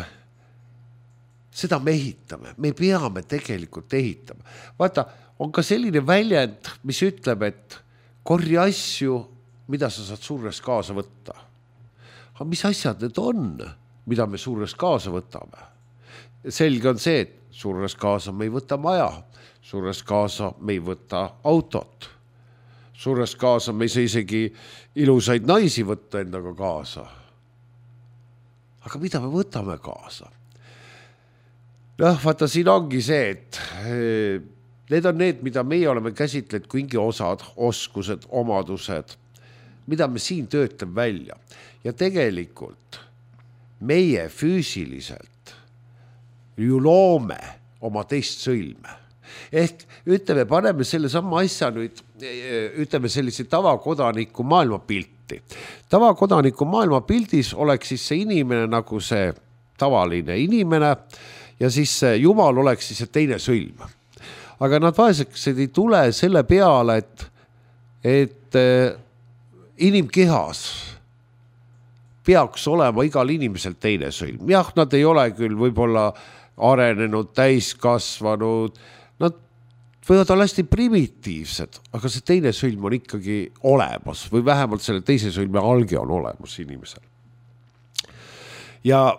seda me ehitame, me peame tegelikult ehitama. Vaata, on ka selline väljend, mis ütleb, et korja asju mida sa saad surres kaasa võtta. Aga mis asjad need on, mida me surres kaasa võtame? Selge on see, et surres kaasa me ei võta maja, surres kaasa me ei võta autot, surres kaasa me ei saa isegi ilusaid naisi võtta endaga kaasa. Aga mida me võtame kaasa? Vaata, siin ongi see, et need on need, mida meie oleme käsitlenud kui mingi osad, oskused, omadused, mida me siin töötame välja. Ja tegelikult meie füüsiliselt ju loome oma teist sõlme. Ehk ütleme, paneme selle sama asja nüüd, ütleme sellise tavakodaniku maailmapilti. Tavakodaniku maailmapildis oleks siis see inimene nagu see tavaline inimene ja siis Jumal oleks siis see teine sõlm. Aga nad vaeseks ei tule selle peale, et inimkehas peaks olema igal inimesel teine sõlm. Jah, nad ei ole küll võib-olla arenenud, täiskasvanud, nad võivad olla hästi primitiivsed, aga see teine sõlm on ikkagi olemas või vähemalt selle teise sõlme alge on olemas inimesel. Ja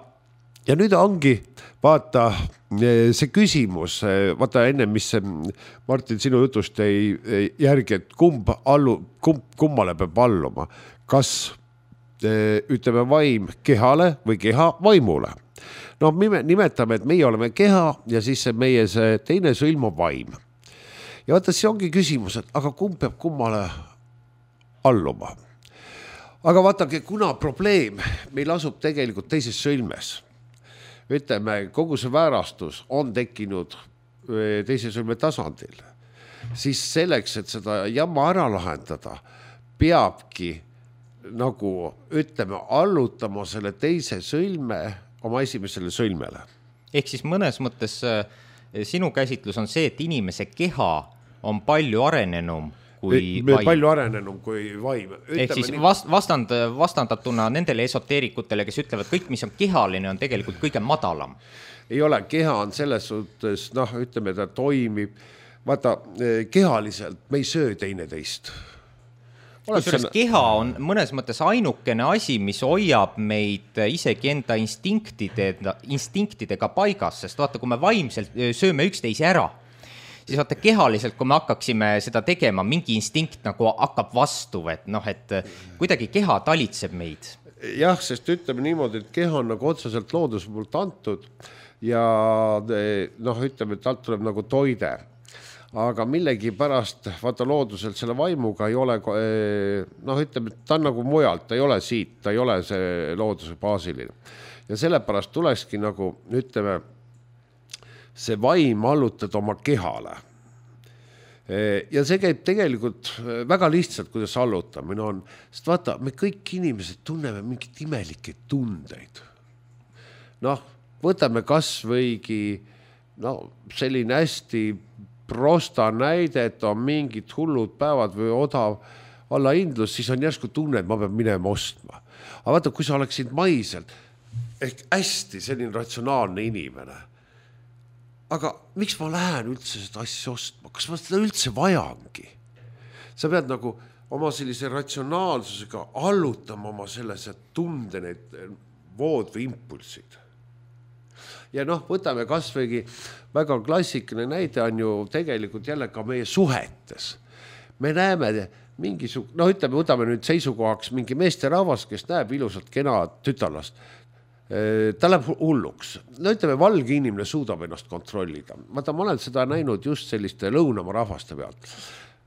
nüüd ongi, vaata, see küsimus, vaata enne, mis Martin sinu jutust ei järgi, et kummale peab alluma, kas ütleme vaim kehale või keha vaimule. No nimetame, et meie oleme keha ja siis meie see teine sõlm on vaim. Ja vaata, see ongi küsimus, et aga kumb peab kummale alluma. Aga vaatake, kuna probleem meil asub tegelikult teises sõlmes, ütleme, kogu see väärastus on tekkinud teise sõlme tasandil, siis selleks, et seda jamma ära lahendada, peabki nagu, ütleme, allutama selle teise sõlme oma esimesele sõlmele. Ehk siis mõnes mõttes sinu käsitlus on see, et inimese keha on palju arenenum kui vaim. Palju arenenum kui vaim. Ehk siis vastandatuna nendele esoteerikutele, kes ütlevad, kõik, mis on kehaline, on tegelikult kõige madalam. Ei ole, keha on selles suhtes, ütleme, ta toimib. Vaata, kehaliselt me ei söö teineteist. Kusjuures keha on mõnes mõttes ainukene asi, mis hoiab meid isegi enda instinktidega paigas, sest vaata, kui me vaimselt sööme üksteise ära, siis vaata kehaliselt, kui me hakkaksime seda tegema, mingi instinkt nagu hakkab vastu, et kuidagi keha talitseb meid. Jah, sest ütleme niimoodi, et keha on nagu otseselt looduse poolt antud ja ütleme, et talt tuleb nagu toide. Aga millegi pärast, vaata looduselt selle vaimuga ei ole, ütleme, ta on nagu mujalt, ta ei ole siit, ta ei ole see looduse baasiline. Ja sellepärast tulekski nagu, ütleme, see vaim allutad oma kehale. Ja see käib tegelikult väga lihtsalt, kuidas allutamine on. Sest vaata, me kõik inimesed tunneme mingit imelikke tundeid. Võtame kas võigi selline hästi prosta näide, et on mingid hullud päevad või odav allahindlus, siis on järsku tunne, et ma pean minema ostma. Aga vaata, kui sa oleksid maiselt, ehk hästi selline ratsionaalne inimene, aga miks ma lähen üldse seda asja ostma? Kas ma seda üldse vajangi? Sa pead nagu oma sellise ratsionaalsusega allutama oma sellise tunde need vood või impulsid. Ja võtame kas võigi väga klassikaline näide on ju tegelikult jälle ka meie suhetes. Me näeme ütleme, võtame nüüd seisukohaks mingi meesterahvas, kes näeb ilusat kena tütarlast. Ta läheb hulluks. Ütleme, valge inimene suudab ennast kontrollida. Ma olen seda näinud just selliste lõunamaa rahvaste pealt.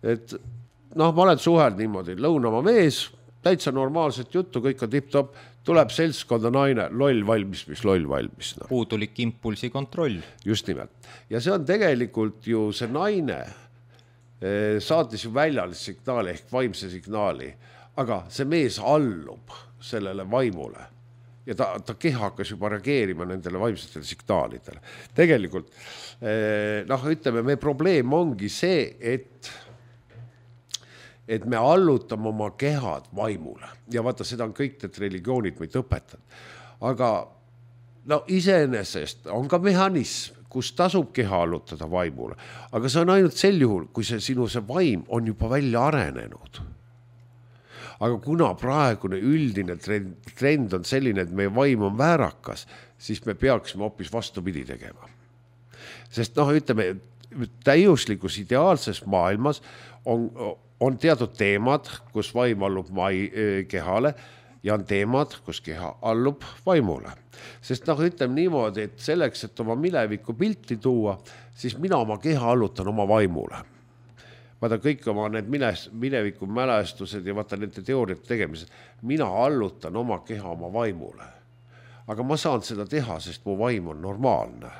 Et ma olen suheld niimoodi, lõunamaa mees, täitsa normaalset juttu, kõik on tipp-top, tuleb seltskonda naine, loll valmis, mis loll valmis. Puudulik impulsi kontroll. Just nimelt. Ja see on tegelikult ju see naine saatis ju väljalist signaali ehk vaimse signaali, aga see mees allub sellele vaimule. Ja ta keha hakkas juba reageerima nendele vaimsetele signaalidele. Tegelikult, ütleme, meie probleem ongi see, et me allutame oma kehad vaimule. Ja vaata, seda on kõik need religioonid meid õpetanud. Aga iseenesest on ka mehhanism, kus tasub keha allutada vaimule. Aga see on ainult sel juhul, kui see sinu see vaim on juba välja arenenud. aga kuna praegune üldine trend on selline, et meie vaim on väärakas, siis me peaksime hoopis vastupidi tegema. Sest ütleme, täiuslikus ideaalses maailmas on teatud teemad, kus vaim allub kehale ja on teemad, kus keha allub vaimule. Sest ütleme niimoodi, et selleks, et oma mineviku pilti tuua, siis mina oma keha allutan oma vaimule. Vaata kõik oma need mineviku mälestused ja vaata nende teooriate tegemised, mina allutan oma keha oma vaimule. Aga ma saan seda teha, sest mu vaim on normaalne.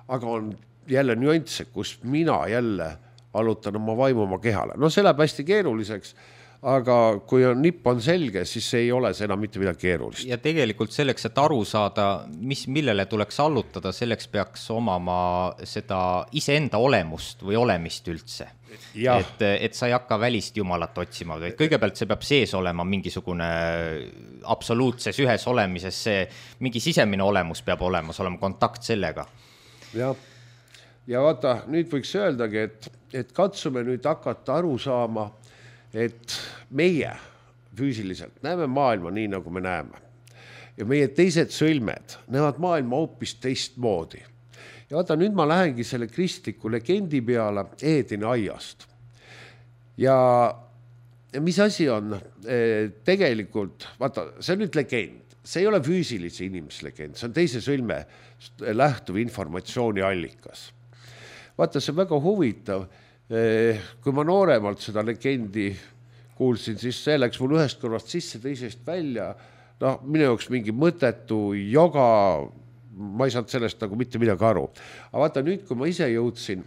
Aga on jälle nüansse, kus mina jälle allutan oma vaimu oma kehale. See läheb hästi keeruliseks, aga kui nipp on selge, siis ei ole see enam mitte midagi keerulist. Ja tegelikult selleks, et aru saada, millele tuleks allutada, selleks peaks omama seda iseenda olemust või olemist üldse. Et sa ei hakka välist jumalat otsima, vaid kõigepealt see peab sees olema mingisugune absoluutses ühes olemises, see mingi sisemine olemus peab olema kontakt sellega. Ja vaata, nüüd võiks öeldagi, et katsume nüüd hakata aru saama, et meie füüsiliselt näeme maailma nii, nagu me näeme. Ja meie teised sõlmed näevad maailma hoopis teistmoodi. Ja vaata, nüüd ma lähengi selle kristliku legendi peale Eedeni aiast. Ja mis asi on tegelikult, vaata, see on nüüd legend. See ei ole füüsilise inimese legend, see on teise sõlme lähtuv informatsiooni allikas. Vaata, see on väga huvitav. Kui ma nooremalt seda legendi kuulsin, siis see läks mul ühest kõrvast sisse, teisest välja. Minu jaoks mingi mõttetu joga, ma ei saanud sellest mitte midagi aru. Aga vaata nüüd, kui ma ise jõudsin,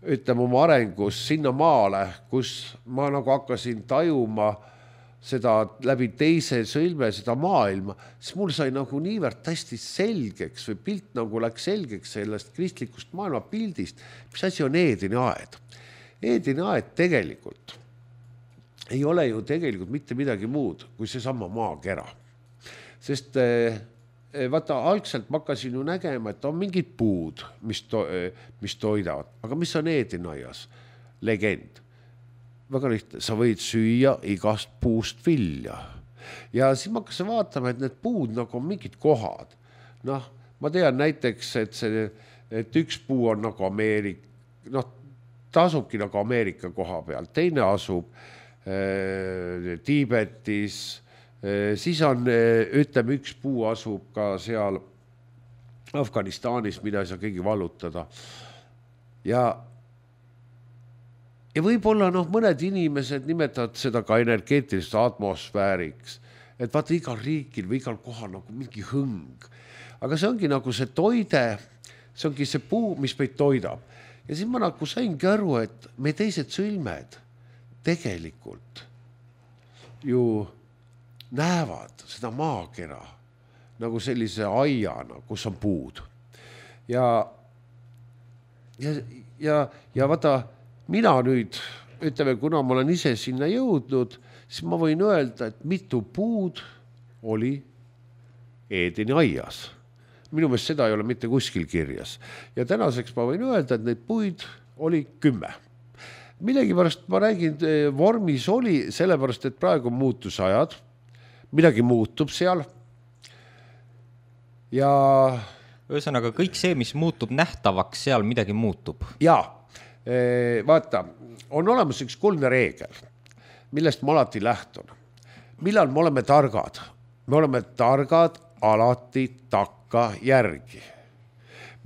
ütleme oma arengus sinna maale, kus ma hakkasin tajuma seda läbi teise sõlme, seda maailma, siis mul sai niivõrd hästi selgeks või pilt läks selgeks sellest kristlikust maailma pildist, mis asi on Eedeni aed. Eedeni aed tegelikult ei ole ju tegelikult mitte midagi muud kui seesama maakera. Sest vaata, algselt ma hakkasin ju nägema, et on mingid puud, mis toidavad. Aga mis on Eedeni aias? Legend. Väga lihtne, sa võid süüa igast puust vilja. Ja siis ma hakkasin vaatama, et need puud on mingid kohad. Ma tean näiteks, et üks puu on Ameerika, ta asubki Ameerika koha peal, teine asub Tiibetis, siis on, ütleme, üks puu asub ka seal Afganistanis, mida ei saa keegi vallutada. Ja võib-olla mõned inimesed nimetavad seda ka energeetiliseks atmosfääriks, et vaata igal riigil või igal kohal mingi hõng. Aga see ongi see toide, see ongi see puu, mis meid toidab. Ja siis ma saingi aru, et me teised sõlmed tegelikult ju näevad seda maakera sellise aiana, kus on puud. Ja vaata, mina nüüd, ütleme, kuna ma olen ise sinna jõudnud, siis ma võin öelda, et mitu puud oli Eedeni aias. Minu meelest seda ei ole mitte kuskil kirjas. Ja tänaseks ma võin öelda, et neid puid oli 10. Millegipärast ma räägin, vormis oli, sellepärast, et praegu on muutusajad, midagi muutub seal. Ja ühesõnaga, kõik see, mis muutub nähtavaks, seal midagi muutub. Jaa. Vaata, on olemas üks kuldne reegel, millest ma alati lähtun. Millal me oleme targad? Me oleme targad alati takka järgi.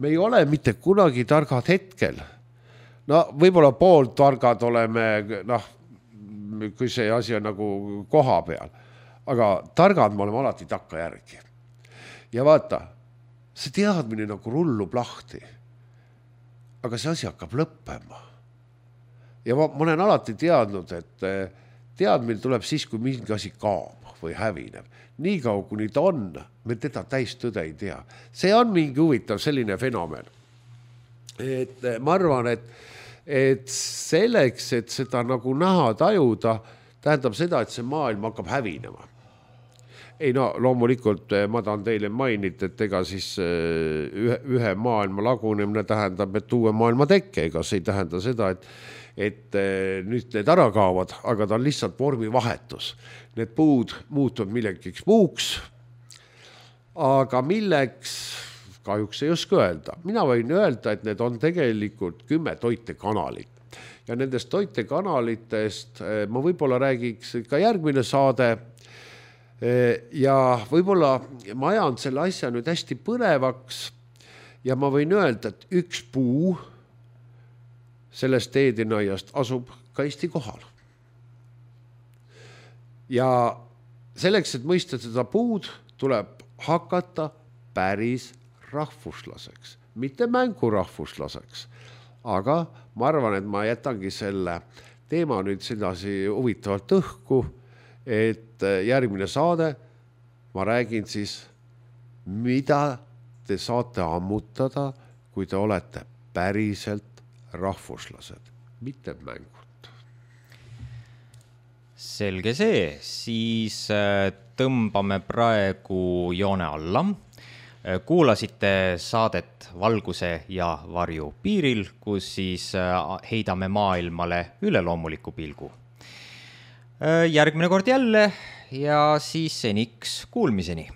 Me ei ole mitte kunagi targad hetkel. Võib-olla pool targad oleme, kui see asi on koha peal. Aga targad me oleme alati takka järgi. Ja vaata, see teadmine rullub lahti. Aga see asi hakkab lõppema. Ja ma olen alati teadnud, et teadmine tuleb siis, kui mingi asi kaob või hävineb. Nii kaua, kuni ta on, me teda täistõde ei tea. See on mingi huvitav selline fenomen. Et ma arvan, et selleks, et seda näha, tajuda, tähendab seda, et see maailm hakkab hävinema. Ei loomulikult ma tahan teile mainida, et ega siis ühe maailma lagunemine tähendab, et uue maailma tekke, ega see ei tähenda seda, et nüüd need ära kaovad, aga ta on lihtsalt vormivahetus. Need puud muutuvad millegiks muuks, aga milleks kahjuks ei oska öelda. Mina võin öelda, et need on tegelikult 10 toitekanalit. Ja nendest toitekanalitest ma võib-olla räägiks ka järgmine saade ja võib-olla ma ajan selle asja nüüd hästi põnevaks ja ma võin öelda, et üks puu sellest Eedinaiast asub ka Eesti kohal. Ja selleks, et mõista seda puud, tuleb hakata päris rahvuslaseks, mitte mängurahvuslaseks. Aga ma arvan, et ma jätangi selle teema nüüd sedasi huvitavalt õhku, et järgmine saade ma räägin siis, mida te saate ammutada, kui te olete päriselt rahvuslased, mitte mängud. Selge see, siis tõmbame praegu joone alla. Kuulasite saadet Valguse ja varju piiril, kus siis heidame maailmale üleloomuliku pilgu. Järgmine kord jälle ja siis seniks kuulmiseni.